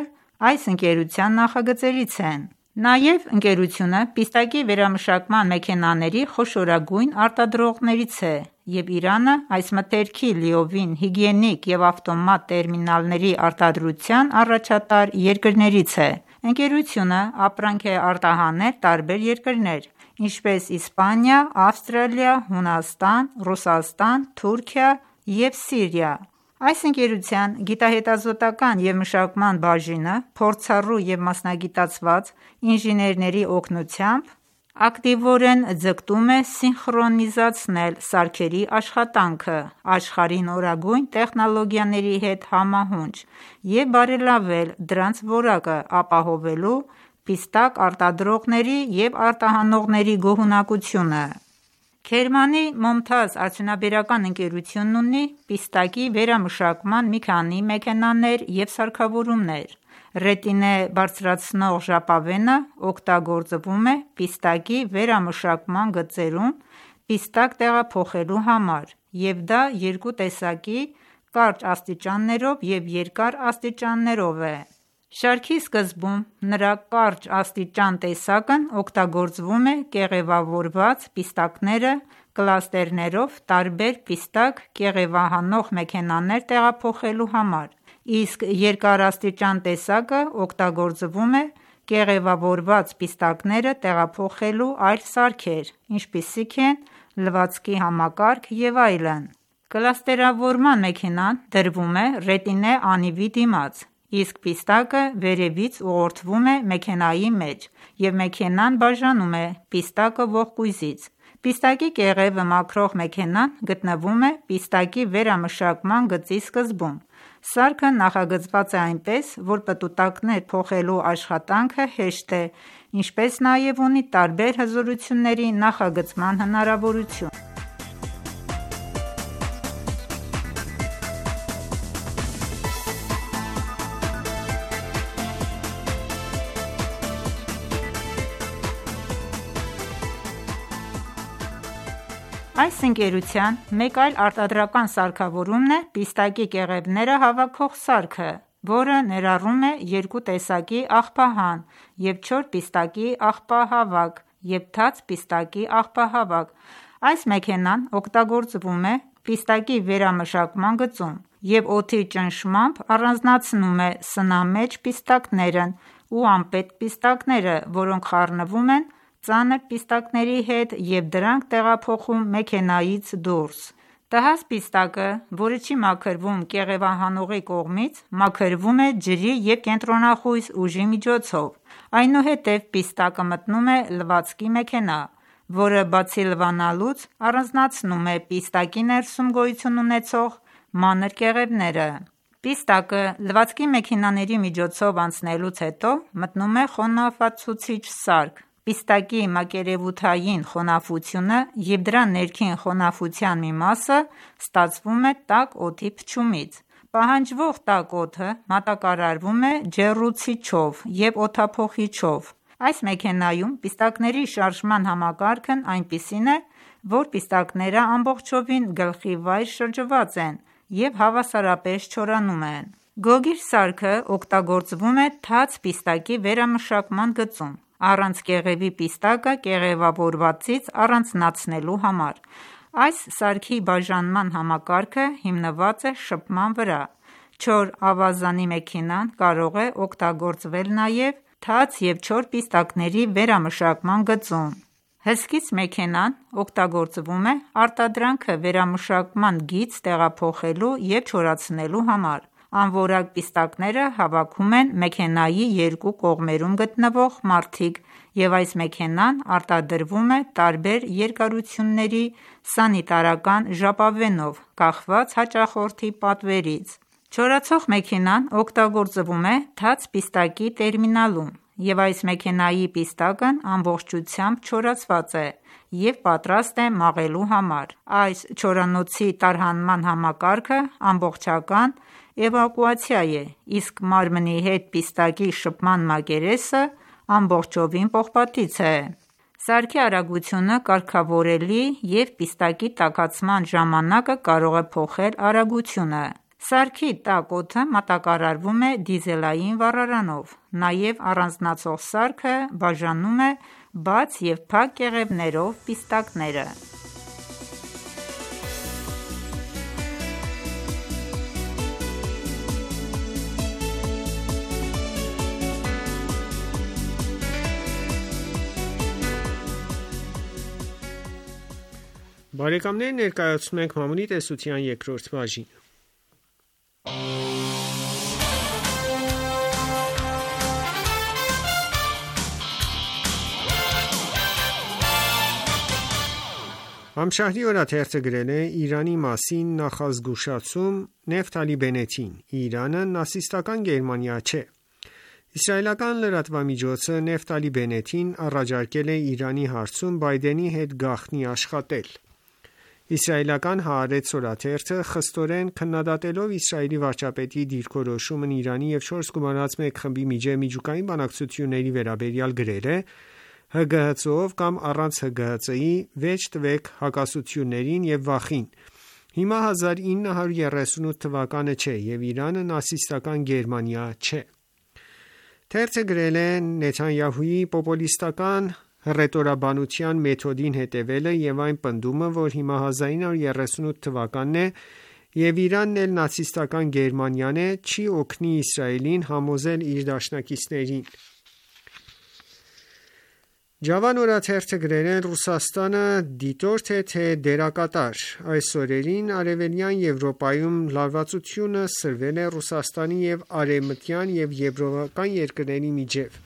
այս ընկերության նախագծերից են։ Նաև ընկերությունը պիստակի վերամշակման մեքենաների խոշորագույն արտադրողներից է և Իրանը այս մթերքի լիովին հիգիենիկ և ավտոմատ տերմինալների արտադրության առաջատար երկրներից է։ Ընկերությունը ապրանք է արտահանել տարբեր երկրներ, ինչպես Իսպանիա, Ավստրալիա, Հունաստան, Ռուսաստան, Թուրքիա և Սիրիա։ Այս ընկերության գիտահետազոտական և մշակման բաժինը փորձառու և մասնագիտացված ինժեներների օգնությամբ ակտիվորեն ձգտում է սինխրոնիզացնել սարքերի աշխատանքը աշխարհի նորագույն տեխնոլոգիաների հետ համահունչ և բարելավել դրանց որակը՝ ապահովելու պիստակ արտադրողների և արտահանողների գոհունակությունը։ Քերմանի Մոմթազ արդյունաբերական ընկերությունն ունի պիստակի վերամշակման մի քանի մեքենաներ և սարքավորումներ։ Ռետինե բարձրացնող ժապավենը օգտագործվում է պիստակի վերամշակման գծերում պիստակ տեղափոխելու համար, և դա երկու տեսակի՝ կարճ աստիճաններով և երկար աստիճաններով է։ Շարքի սկզբում նրա կարճ աստիճան տեսակն օգտագործվում է կեղևավորված պիստակները կլաստերներով տարբեր պիստակ կեղևահանող մեքենաներ տեղափոխելու համար, իսկ երկարաստիճան տեսակը օգտագործվում է կեղևավորված պիստակները տեղափոխելու այլ սարքեր, ինչպիսիք են լվացքի համակարգ և այլն։ Կլաստերավորման մեքենան դրվում է ռետինե անիվի դիմաց, իսկ պիստակը վերևից ուղղորդվում է մեքենայի մեջ, և մեքենան բաժանում է պիստակը ողկույզից։ Պիստակի կեղևը մաքրող մեքենան գտնվում է պիստակի վերամշակման գծի սկզբում։ Սարքը նախագծված է այնպես, որ պտուտակներ փոխելու աշխատանքը հեշտ է, ինչպես նաև ունի տարբեր հզորությունների նախագծման հնարավորություն։ Այս ընկերության մեկ այլ արտադրական սարքավորումն է պիստակի կեղևները հավաքող սարքը, որը ներառում է երկու տեսակի աղբահան և չոր պիստակի աղբահավաք և թաց պիստակի աղբահավաք։ Այս մեքենան օգտագործվում է պիստակի վերամշակման գծում և օդի ճնշմամբ առանձնացնում է սնամեջ պիստակներն ու անպետք պիստակները, որոնք խառնվում են ծանր պիստակների հետ և դրանք տեղափոխում մեքենայից դուրս: Տհաճ պիստակը, որը չի մաքրվում կեղևահանողի կողմից, մաքրվում է ջրի և կենտրոնախույս ուժի միջոցով: Այնուհետև պիստակը մտնում է լվացքի մեքենա, որը բացի լվանալուց, առանձնացնում է պիստակի ներսում գոյություն ունեցող մանր կեղևները: Պիստակը լվացքի մեքենաների միջոցով անցնելուց հետո մտնում է խոնավացուցիչ սարք: Պիստակի մակերևութային խոնավությունը և դրա ներքին խոնավության մի մասը ստացվում է տաք օդի փչումից: Պահանջվող տաք օդը մատակարարվում է ջեռուցիչով և օդափոխիչով: Այս մեքենայում պիստակների շարժման համակարգն այնպիսին է, որ պիստակները ամբողջովին գլխի վայր շրջված են և հավասարապես չորանում են: Գոգիր սարքը օգտագործվում է թաց պիստակի վերամշակման գծում, առանց կեղևի պիստակը կեղևավորվածից առանձնացնելու համար: Այս սարքի բաժանման համակարգը հիմնված է շփման վրա: Չոր ավազանի մեքենան կարող է օգտագործվել նաև թաց և չոր պիստակների վերամշակման գծում: Հսկիչ մեքենան օգտագործվում է արտադրանքը վերամշակման գիծ տեղափոխելու և չորացնելու համար: Անորակ պիստակները հավաքում են մեքենայի երկու կողմերում գտնվող մարդիկ և այս մեքենան արտադրվում է տարբեր երկարությունների սանիտարական ժապավենով կախված հաճախորդի պատվերից: Չորացող մեքենան օգտագործվում է թաց պիստակի տերմինալում և այս մեքենայի պիստակն ամբողջությամբ չորացված է և պատրաստ է մաղելու համար: Այս չորանոցի տարհանման համակարգը ամբողջական էվակուացիա է, իսկ մարմնի հետ պիստակի շփման մակերեսը ամբողջովին պողպատից է: Սարքի արագությունը կարգավորելի և պիստակի տաքացման ժամանակը կարող է փոխել արագությունը: Սարքի տաք օդը մատակարարվում է դիզելային վառարանով: Նաև առանձնացող սարքը բաժանում է բաց և փակ կեղևներով պիստակները: Բարեկամներ ներկայացնում ենք Մամունի տեսության երկրորդ բաժինը: Ամշահրի օրաթերթը գրել է. «Իրանի մասին նախազգուշացում Նեֆթալի Բենետին. Իրանը նացիստական Գերմանիա չէ»: Իսրայելական լրատվամիջոցը Նեֆթալի Բենետին առաջարկել է Իրանի հարցում Բայդենի հետ գաղտնի աշխատել: Իսրայելական Հaaretz օրաթերթը խստորեն քննադատելով Իսրայելի վարչապետի դիրքորոշումն Իրանի և չորս գումարած մեկ խմբի միջև միջուկային բանակցությունների վերաբերյալ գրել է. «ՀԳՀԾ-ով կամ առանց ՀԳՀԾ-ի վերջ տվեք հակասություններին և վախին: Հիմա հազար ինը հարյուր երեսունութ թվականը չէ և Իրանը նացիստական Գերմանիա չէ»: Թերթը գրել է. «Նեթանյահուի պոպուլիստական հռետորաբանության մեթոդին հետևելը և այն պնդումը, որ հիմա հազար ինը հարյուր երեսունութ թվականն է և Իրանն էլ նացիստական Գերմանիան է, չի օգնի Իսրայելին համոզել իր դաշնակիցներին»: Ջավան օրաթերթը գրել է. «Ռուսաստանը դիտորդ է, թե դերակատար: Այս օրերին Արևելյան Եվրոպայում լարվածությունը սրվել է Ռուսաստանի և արևմտյան և եվրոպական երկրների միջև: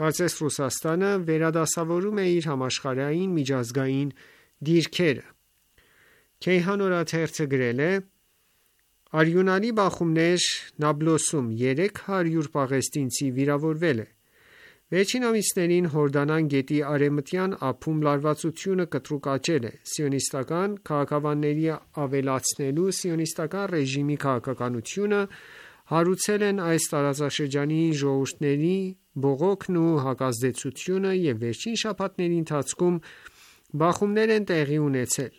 Կարծես Ռուսաստանը վերադասավորում է իր համաշխարհային միջազգային դիրքերը»: Քեյհան օրաթերթը գրել է. «Արյունալի բախումներ Նաբլոսում, երեք հարյուր պաղեստինցի վիրավորվել է»: Վերջին ամիսներին Հորդանան գետի արևմտյան ափում լարվածությունը կտրուկ աճել է: Սիոնիստական քաղաքավանների ավելացնելու Սիոնիստական ռեժիմի քաղաքականությունը հարուցել են այս տարածաշրջանի ժողովուրդների բողոքն ու հակազդեցությունը և վերջին շաբաթների ընթացքում բախումներ են տեղի ունեցել: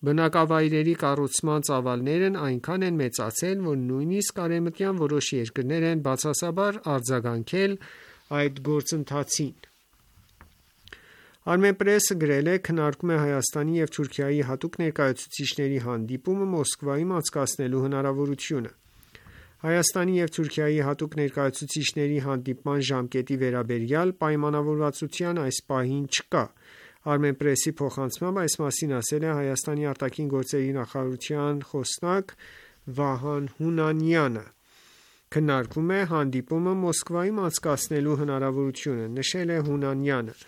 Բնակավայրերի կառուցման ծավալներն այնքան են մեծացել, որ նույնիսկ արևմտյան որոշ երկրներ են բացասաբար արձագանքել այդ գործընթացին: Armenpress-ը գրել է. «Քննարկում է Հայաստանի և Թուրքիայի հատուկ ներկայացուցիչների հանդիպումը Մոսկվայում անցկացնելու հնարավորությունը»: Հայաստանի և Թուրքիայի հատուկ ներկայացուցիչների հանդիպման ժամկետի վերաբերյալ պայմանավորվածության այս պահին չկա։ Armenpress-ի փոխանցմամբ այս մասին ասել է Հայաստանի արտաքին գործերի նախարարության խոսնակ Վահան Հունանյանը։ Քննարկվում է հանդիպումը Մոսկվայում անցկացնելու հնարավորությունը, նշել է Հունանյանը։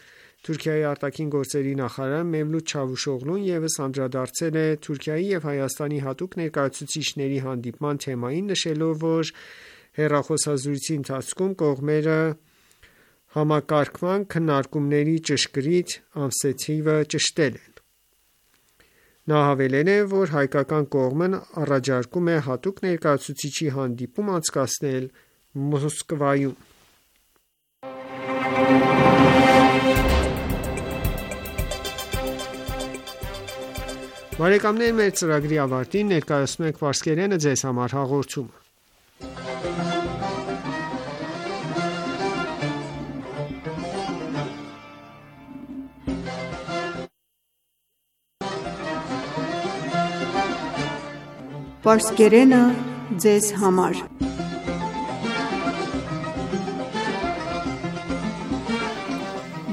Թուրքիայի արտաքին գործերի նախարար Մևլութ Չավուշօղլուն ևս անդրադարձել է Թուրքիայի և Հայաստանի հատուկ ներկայացուցիչների հանդիպման թեմային, նշելով, որ հեռախոսազրույցի ընթացքում կողմերը համակարգման քննարկումների ճշգրիտ ամսաթիվը ճշտել են։ Նա հավելել է, որ հայկական կողմն առաջարկում է հատուկ ներկայացուցչի հանդիպում անցկացնել Մոսկվայում։ Բարեկամներ, մեր ծրագրի ավարտին ներկայացնում ենք Պարսկերենը ձեզ համար հաղորդումը։ Պարսկերենը ձեզ համար։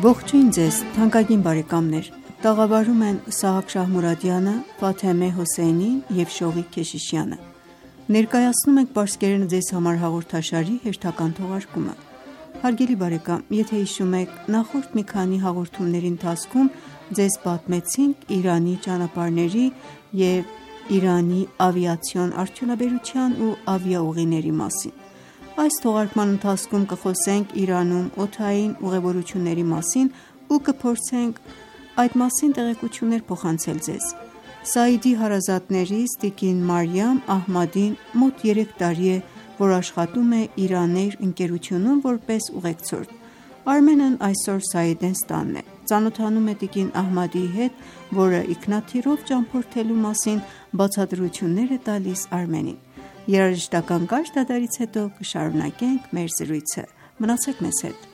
Ողջույն ձեզ, թանկագին բարեկամներ։ Տաղավարում են Սահակ Շահմուրադյանը, Ֆաթեմե Հոսեյնին և Շովիկ Քեշիշյանը։ Ներկայացնում ենք Պարսկերենը ձեզ համար հաղորդաշարի հերթական թողարկումը։ Հարգելի բարեկամ, եթե հիշում եք, նախորդ մի քանի հաղորդումների ընթացքում ձեզ պատմեցինք Իրանի ճանապարհների և Իրանի ավիացիոն արդյունաբերության ու ավիաուղիների մասին։ Այս թողարկման ընթացքում կխոսենք Իրանում օդային ուղևորությունների մասին ու կփորձենք այդ մասին տեղեկություններ փոխանցել ձեզ։ Սաիդի հարազատներից տիկին Մարիամ Ահմադին մոտ երեք տարի է, որ աշխատում է Իրանեյր ընկերությունում որպես ուղեկցորդ։ Արմենն այսօր Սաիդենց տանն է, ծանոթանում է տիկին Ահմադիի հետ, որը ինքնաթիռով ճամփորդելու մասին բացատրություններ է տալիս Արմենին։ Երաժշտական կարճ դադարից հետո կշարունակենք մեր զրույցը։ Մնացեք մեզ հետ։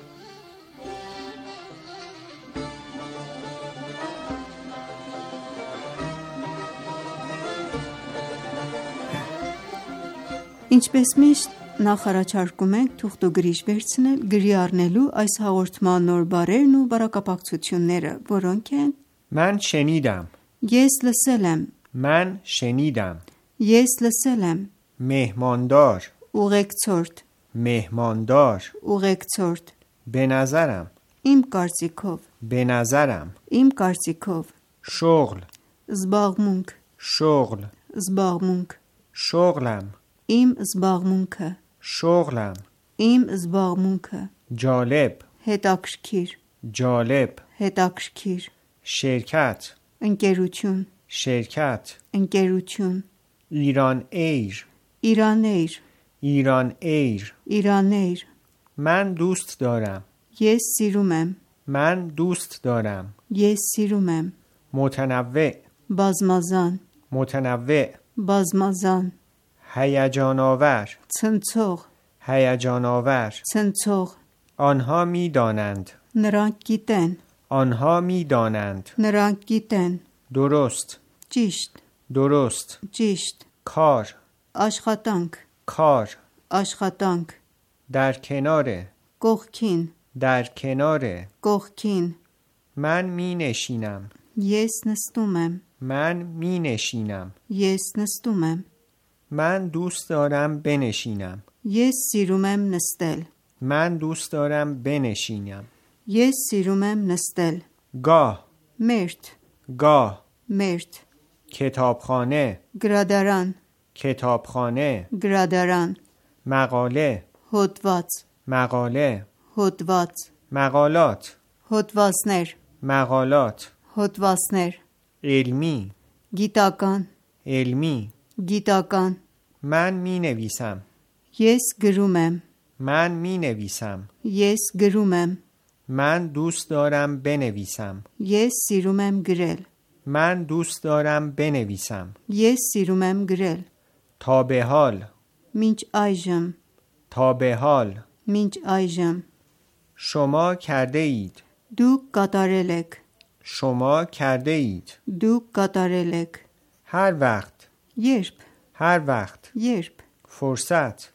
Ինչպես միշտ, նախ առաջարկում ենք թուղթուգրիչ վերցնել գրի առնելու այս հաղորդման նոր բառերն ու բառակապակցությունները, որոնք են. Mən şenidam, Ես լսել եմ, mən şenidam, Ես լսել եմ, mehmandar, Ուղեկցորդ, mehmandar, Ուղեկցորդ, be nazaram, Իմ կարծիքով, be nazaram, Իմ կարծիքով, şogl, Զբաղմունք, şogl, Զբաղմունք, şoglam, Իմ զբաղմունքը, şoglam, Իմ զբաղմունքը, jaleb, Հետաքրքիր, jaleb, Հետաքրքիր, şirkat, Ընկերություն, şirkat, Ընկերություն, İran Air, Իրանեյր, İran Air, Իրանեյր, mən dost daram, Ես սիրում եմ, mən dost daram, Ես սիրում եմ, متنوع, Բազմազան, متنوع, Բազմազան, هیجان آور، Ցնցող, هیجان آور، Ցնցող, آنها می دانند، Նրանք գիտեն, آنها می دانند، Նրանք գիտեն, درست، Ճիշտ, درست، Ճիշտ, کار، Աշխատանք, کار، Աշխատանք, در کنار، Կողքին, در کنار، Կողքին, من می نشینم، Ես նստում եմ, من می نشینم، Ես նստում եմ, من دوست دارم بنشینم، Ես սիրում եմ նստել, من دوست دارم بنشینم، Ես սիրում եմ նստել, گاه، Մերթ, گاه، Մերթ, کتابخانه، Գրադարան, کتابخانه، Գրադարան, مقاله، Հոդված, مقاله، Հոդված, مقالات، Հոդվածներ, مقالات، Հոդվածներ, علمی، Գիտական, علمی، Գիտական, من می نویسم، Ես գրում եմ, من می نویسم، Ես գրում եմ, من دوست دارم بنویسم، Ես սիրում եմ գրել, من دوست دارم بنویسم، Ես սիրում եմ գրել, تا به حال، Մինչ այժմ, تا به حال، Մինչ այժմ, شما کرده اید، Դուք կատարել եք, شما کرده اید، Դուք կատարել եք, هر وقت، Երբ, هر وقت، Երբ, فرصت،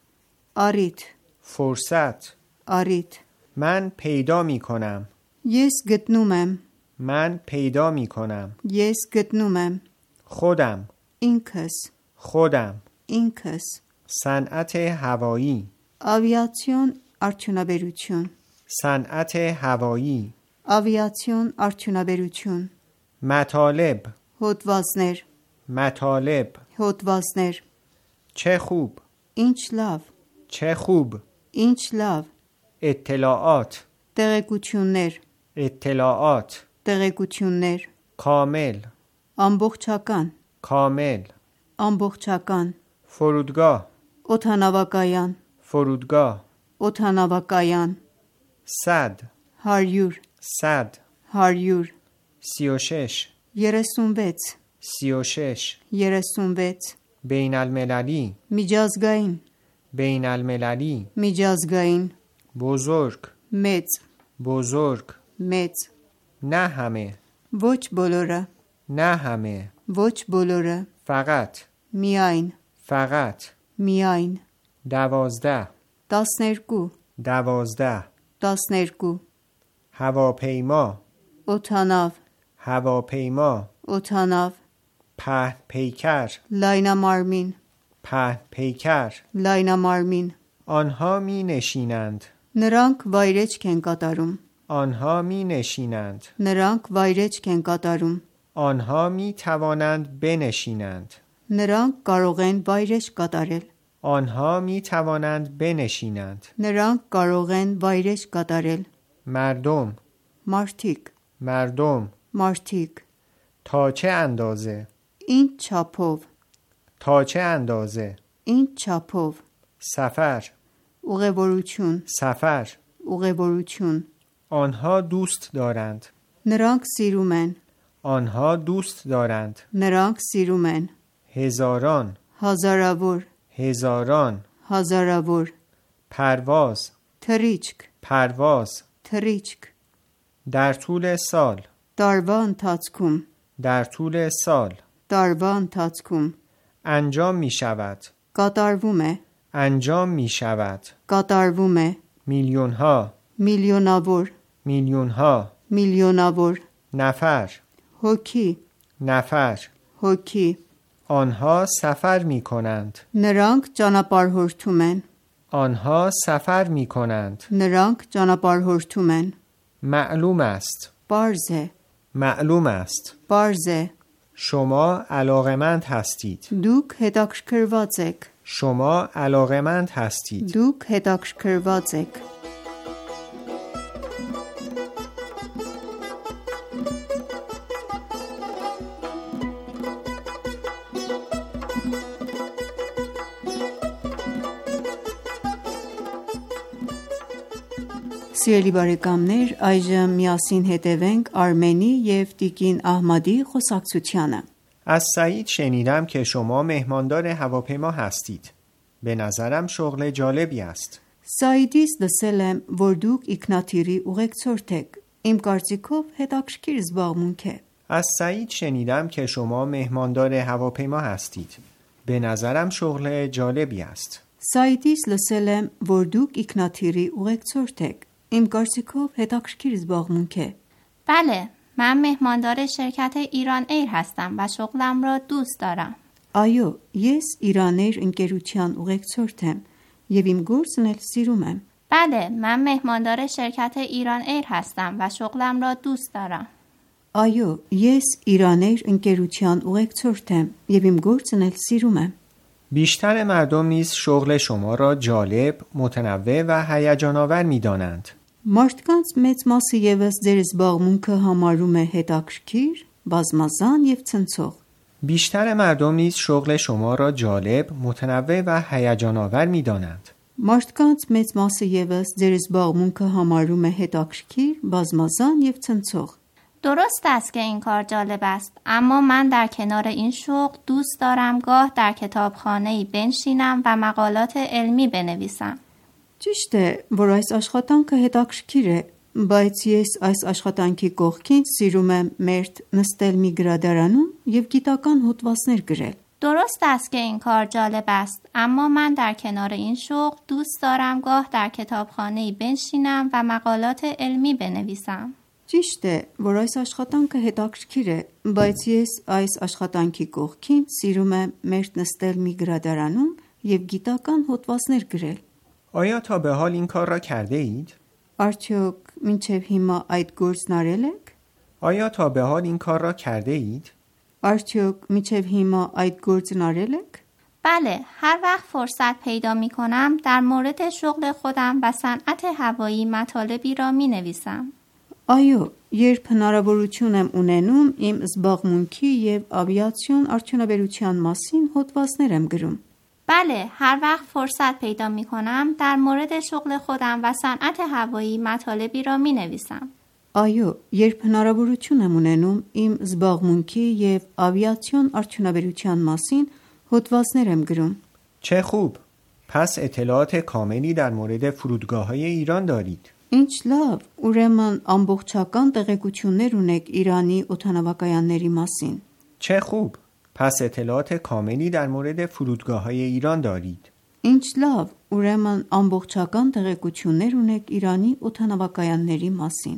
Առիթ فرصت Առիթ من پیدا می کنم Ես գտնում եմ من پیدا می کنم Ես գտնում եմ خودم Ինքս خودم Ինքս صنعت هوایی Ավիացիոն արդյունաբերություն صنعت هوایی Ավիացիոն արդյունաբերություն مطالب Հոդվածներ مطالب Հոդվածներ چه خوب Ինչ լավ چه خوب Ինչ լավ اطلاعات Տեղեկություններ اطلاعات Տեղեկություններ کامل Ամբողջական کامل Ամբողջական فرودگاه Օթանավակայան فرودگاه Օթանավակայան صد հարյուր صد հարյուր سی و شش երեսունվեց سی و شش երեսունվեց بین المللی միջազգային بین المللی միջազգային بزرگ մեծ بزرگ մեծ نه همه ոչ բոլորը نه همه ոչ բոլորը فقط միայն فقط միայն دوازده տասներկու دوازده տասներկու هواپیما օթանավ هواپیما օթանավ پهن پیکر լայնամարմին پهن پیکر լայնամարմին آنها می نشینند նրանք վայրեջք են կատարում آنها می نشینند նրանք վայրեջք են կատարում آنها می توانند بنشینند նրանք կարող են վայրեջք կատարել آنها می توانند بنشینند նրանք կարող են վայրեջք կատարել مردم մարդիկ مردم մարդիկ تا چه اندازه ինչ չափով تا چه اندازه ինչ չափով سفر ուղևորություն سفر ուղևորություն آنها دوست دارند նրանք սիրում են آنها دوست دارند նրանք սիրում են هزاران հազարավոր هزاران հազարավոր پرواز թռիչք پرواز թռիչք در طول سال տարվա ընթացքում در طول سال տարվա ընթացքում انجام می شود կատարվում է انجام می شود կատարվում է میلیون ها միլիոնավոր میلیون ها միլիոնավոր نفر հոգի نفر հոգի آنها سفر می کنند նրանք ճանապարհորդում են آنها سفر می کنند նրանք ճանապարհորդում են معلوم است Պարզ է معلوم است Պարզ է شما علاقمند هستید Դուք հետաքրքրված եք شما علاقمند هستید Դուք հետաքրքրված եք Սիրելի բարեկամներ, այժմ միասին հետևենք Արմենի և տիկին Ահմադի խոսակցությանը։ از سعید شنیدم که شما مهماندار هواپیما هستید. به نظرم شغل جالبی است. Սաիդից լսել եմ, որ դուք ինքնաթիռի ուղեկցորդ եք։ Իմ կարծիքով հետաքրքիր զբաղմունք է։ از سعید شنیدم که شما مهماندار هواپیما هستید. به نظرم شغل جالبی است. Սաիդից լսել եմ, որ դուք ինքնաթիռի ուղեկցորդ եք։ Իմ կարծիքով հետաքրքիր զբաղմունք է։ بله، من مهماندار شرکت ایران ایر هستم و شغلم را دوست دارم. Այո, ես Իրանեյր ընկերության ուղեկցորդ եմ եւ իմ գործն էլ սիրում եմ։ بله، من مهماندار شرکت ایران ایر هستم و شغلم را دوست دارم. Այո, ես Իրանեյր ընկերության ուղեկցորդ եմ եւ իմ գործն էլ սիրում եմ։ بیشتر مردم نیز شغل شما را جالب، متنوع و هیجان آور می‌دانند. Մարդկանց մեծ մասը եւս ձեր զբաղմունքը համարում է հետաքրքիր, բազմազան եւ ցնցող։ بیشتر مردم نیز شغل شما را جالب، متنوع و هیجان آور می‌دانند. Մարդկանց մեծ մասը եւս ձեր զբաղմունքը համարում է հետաքրքիր, բազմազան եւ ցնցող։ درست است که این کار جالب است، اما من در کنار این شغل دوست دارم گاه در کتابخانه‌ای بنشینم و مقالات علمی بنویسم. Ճիշտ է, որ այս աշխատանքը հետաքրքիր է, բայց ես այս աշխատանքի կողքին սիրում եմ մերթ նստել մի գրադարանում եւ գիտական հոդվածներ գրել։ درست است که این کار جالب است، اما من در کنار این شغل دوست دارم گاه در کتابخانه‌ای بنشینم و مقالات علمی بنویسم. Ճիշտ է, որ այս աշխատանքը հետաքրքիր է, բայց ես այս աշխատանքի կողքին սիրում եմ մերթ նստել մի գրադարանում և գիտական հոդվածներ գրել։ آیا تا به حال این کار را کرده اید؟ Արդյոք մինչև հիմա այդ գործն արել եք? آیا تا به حال این کار را کرده اید؟ Արդյոք մինչև հիմա այդ գործն արել եք? بله، هر وقت فرصت پیدا می کنم در مورد شغل خودم و صنعت هوایی مطالبی را می نویسم. Այո, երբ հնարավորություն եմ ունենում, իմ զբաղմունքի և ավիացիոն արդյունաբերության մասին հոդվածներ եմ գրում։ بله، هر وقت فرصت پیدا می کنم در مورد شغل خودم و صنعت هوایی مطالبی را می نویسم. Այո, երբ հնարավորություն եմ ունենում, իմ զբաղմունքի և ավիացիոն արդյունաբերության մասին հոդվածներ եմ գրում։ چه خوب! پس اطلاعات کاملی در مورد فرودگاه‌های ایران دارید. Ինչ լավ, ուրեմն ամբողջական տեղեկություններ ունեք Իրանի օդանավակայանների մասին։ چه خوب! پس اطلاعات کاملی در مورد فرودگاه‌های ایران دارید. Ինչ լավ, ուրեմն ամբողջական տեղեկություններ ունեք Իրանի օդանավակայանների մասին։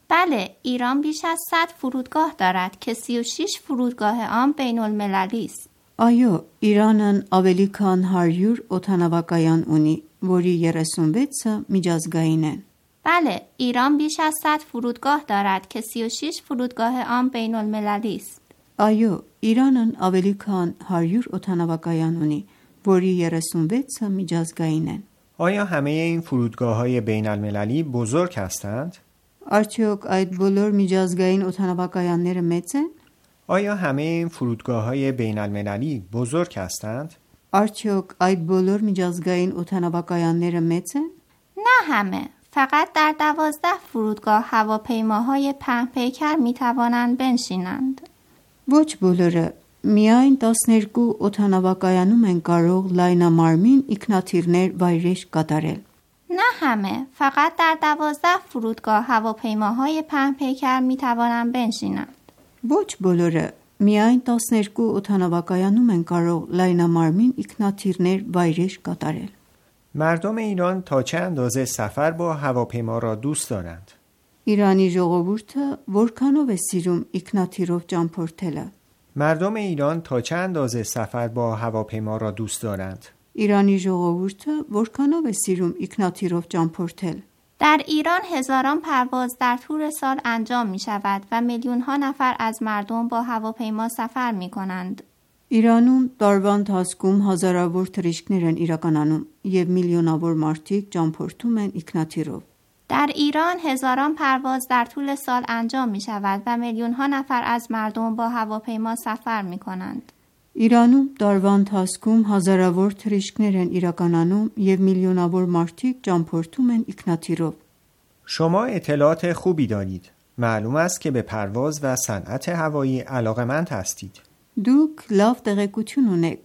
بله، ایران بیش از صد فرودگاه دارد که سی و شش فرودگاه آن بین المللی است. Այո, Իրանն ավելի քան հարյուր օդանավակայան ունի, որի երեսունվեցը միջազգային են։ بله، ایران بیش از صد فرودگاه دارد که سی و شش فرودگاه آن بین المللی است. Այո, Իրանն ավելի քան հարյուր օդանավակայան ունի, որի երեսունվեցը միջազգային են։ آیا همه این فرودگاه‌های بین المللی بزرگ هستند؟ Արդյոք այդ բոլոր միջազգային օդանավակայանները մեծ են? آیا همه این فرودگاه‌های بین المللی بزرگ هستند؟ Արդյոք այդ բոլոր միջազգային օդանավակայանները մեծ են? نه همه، فقط در دوازده فرودگاه هواپیماهای پهن پیکر می توانند بنشینند. Ոչ բոլորը, միայն տասներկու օդանավակայանում են կարող լայնամարմին ինքնաթիռներ վայրէջք կատարել։ نه همه، فقط در دوازده فرودگاه هواپیماهای پهن پیکر می توانند بنشینند. Ոչ բոլորը, միայն տասներկու օդանավակայանում են կարող լայնամարմին ինքնաթիռներ վայրէջք կատարել։ مردم ایران تا چه اندازه سفر با هواپیما را دوست دارند؟ Իրանի ժողովուրդը որքանով է սիրում ինքնաթիռով ճամփորդելը։ مردم ایران تا چه اندازه سفر با هواپیما را دوست دارند؟ Իրանի ժողովուրդը որքանով է սիրում ինքնաթիռով ճամփորդել։ در ایران هزاران پرواز در طول سال انجام می شود و میلیون ها نفر از مردم با هواپیما سفر می کنند. Իրանում տարվա ընթացքում հազարավոր թռիչքներ են իրականանում եւ միլիոնավոր մարդիկ ճամփորդում են ինքնաթիռով։ در ایران هزاران پرواز در طول سال انجام می شود و میلیون ها نفر از مردم با هواپیما سفر می کنند. Իրանում տարվա ընթացքում հազարավոր թռիչքներ են իրականանում եւ միլիոնավոր մարդիկ ճամփորդում են ինքնաթիռով։ شما اطلاعات خوبی دارید. معلوم است که به پرواز و صنعت هوایی علاقه‌مند هستید. Դուք լավ տեղեկություն ունեք։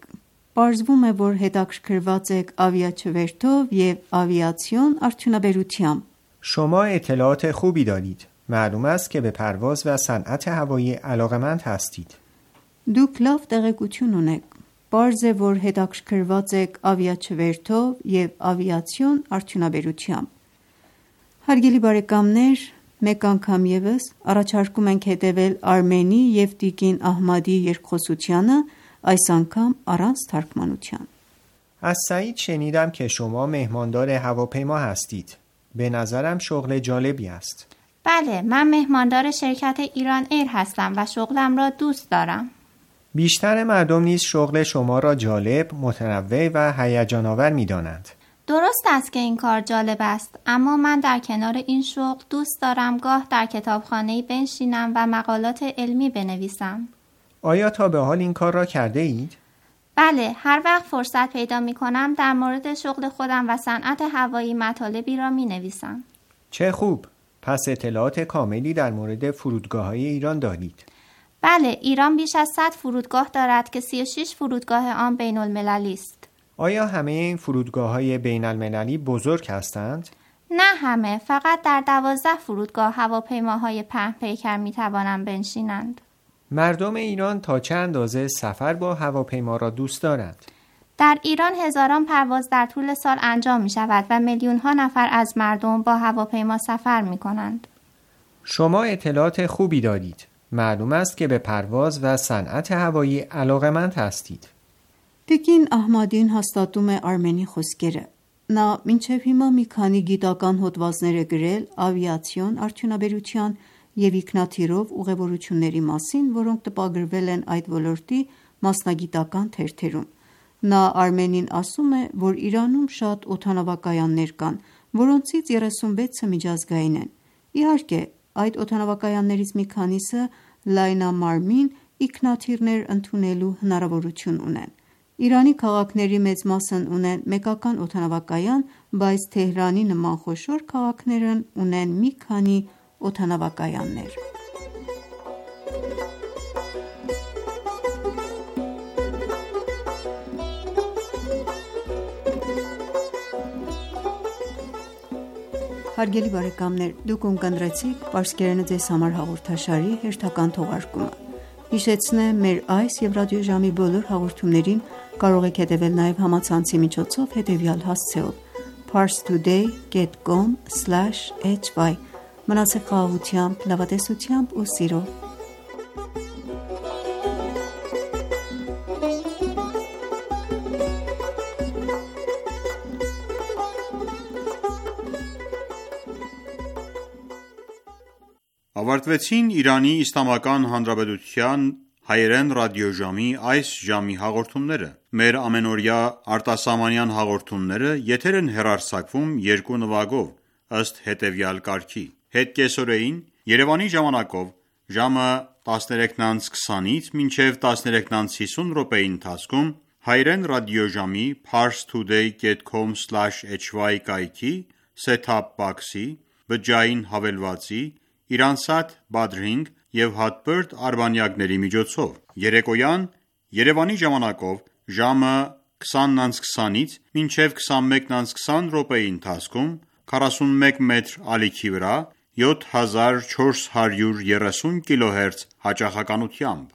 Պարզվում է, որ հետաքրքրված եք ավիաչվերթով եւ ավիացիոն արդյունաբերությամբ։ شما اطلاعات خوبی دارید. معلوم است که به پرواز و صنعت هوایی علاقه‌مند هستید. Դուք լավ տեղեկություն ունեք։ Պարզ է, որ հետաքրքրված եք ավիաչվերթով եւ ավիացիոն արդյունաբերությամբ։ Հարգելի բարեկամներ, մեկ անգամ եւս առաջարկում ենք հետևել Արմենի եւ Տիկին Ահմադի երկխոսությանը, այս անգամ առանց թարգմանության։ از سعید شنیدم که شما مهماندار هواپیما هستید. به نظرم شغل جالبی است. بله، من مهماندار شرکت ایران ایر هستم و شغلم را دوست دارم. بیشتر مردم نیز شغل شما را جالب، متنوع و هیجان‌آور می‌دانند. درست است که این کار جالب است، اما من در کنار این شغل دوست دارم گاه در کتابخانه‌ای بنشینم و مقالات علمی بنویسم. آیا تا به حال این کار را کرده اید؟ بله، هر وقت فرصت پیدا می کنم در مورد شغل خودم و صنعت هوایی مطالبی را می نویسم. چه خوب! پس اطلاعات کاملی در مورد فرودگاه‌های ایران دارید. بله، ایران بیش از صد فرودگاه دارد که سی و شش فرودگاه آن بین المللی است. آیا همه این فرودگاه‌های بین المللی بزرگ هستند؟ نه همه، فقط در دوازده فرودگاه هواپیماهای پهن پیکر می توانند بنشینند. مردم ایران تا چه اندازه سفر با هواپیما را دوست دارند؟ در ایران هزاران پرواز در طول سال انجام می شود و میلیون ها نفر از مردم با هواپیما سفر می کنند. شما اطلاعات خوبی دارید. معلوم است که به پرواز و صنعت هوایی علاقه‌مند هستید. Տիկին Ահմադին հաստատում է Արմենի խոսքերը։ Նա մինչև հիմա մի քանի գիտական հոդվածներ է գրել ավիացիոն արդյունաբերության և ինքնաթիռով ուղևորությունների մասին, որոնք տպագրվել են այդ ոլորտի մասնագիտական թերթերում։ Նա Արմենին ասում է, որ Իրանում շատ օդանավակայաններ կան, որոնցից երեսունվեցը միջազգային են։ Իհարկե, այդ օդանավակայաններից մի քանիսը լայնամարմին ինքնաթիռներ ընդունելու հնարավորություն ունեն։ Իրանի քաղաքների մեծ մասն ունեն մեկական օդանավակայան, բայց Թեհրանի նման խոշոր քաղաքներն ունեն մի քանի օդանավակայաններ։ Հարգելի բարեկամներ, դուք ունկնդրեցիք Պարսկերենը ձեզ համար հաղորդաշարի հերթական թողարկումը։ Հիշեցնեմ, մեր այս և ռադիոժամի բոլոր հաղորդումներին կարող եք հետևել նաև համացանցի միջոցով հետևյալ հասցեով parstoday dot com slash h y Մնացեք խաղաղությամբ, լավատեսությամբ ու սիրով։ Ավարտվեցին Իրանի Իսլամական Հանրապետության հայերեն ռադիոժամի այս ժամի հաղորդումները։ Մեր ամենօրյա արտասահմանյան հաղորդումները եթեր են հեռարձակվում երկու նվագով, ըստ հետևյալ կարգի. Հետկեսօրեին Երևանի ժամանակով ժամը տասներեքն քսանից մինչև տասներեքն հիսուն րոպեի ընթացքում հայերեն ռադիոժամի parstoday dot com slash h y կայքի set-top box-ի, բջջային հավելվածի, Իրանսատ Badrink և Hotbird արբանյակների միջոցով։ Երեկոյան Երևանի ժամանակով ժամը քսանն քսանից մինչև քսանմեկն քսան րոպեի ընթացքում քառասունմեկ մետր ալիքի վրա յոթ հազար չորս հարյուր երեսուն կիլոհերց հաճախականությամբ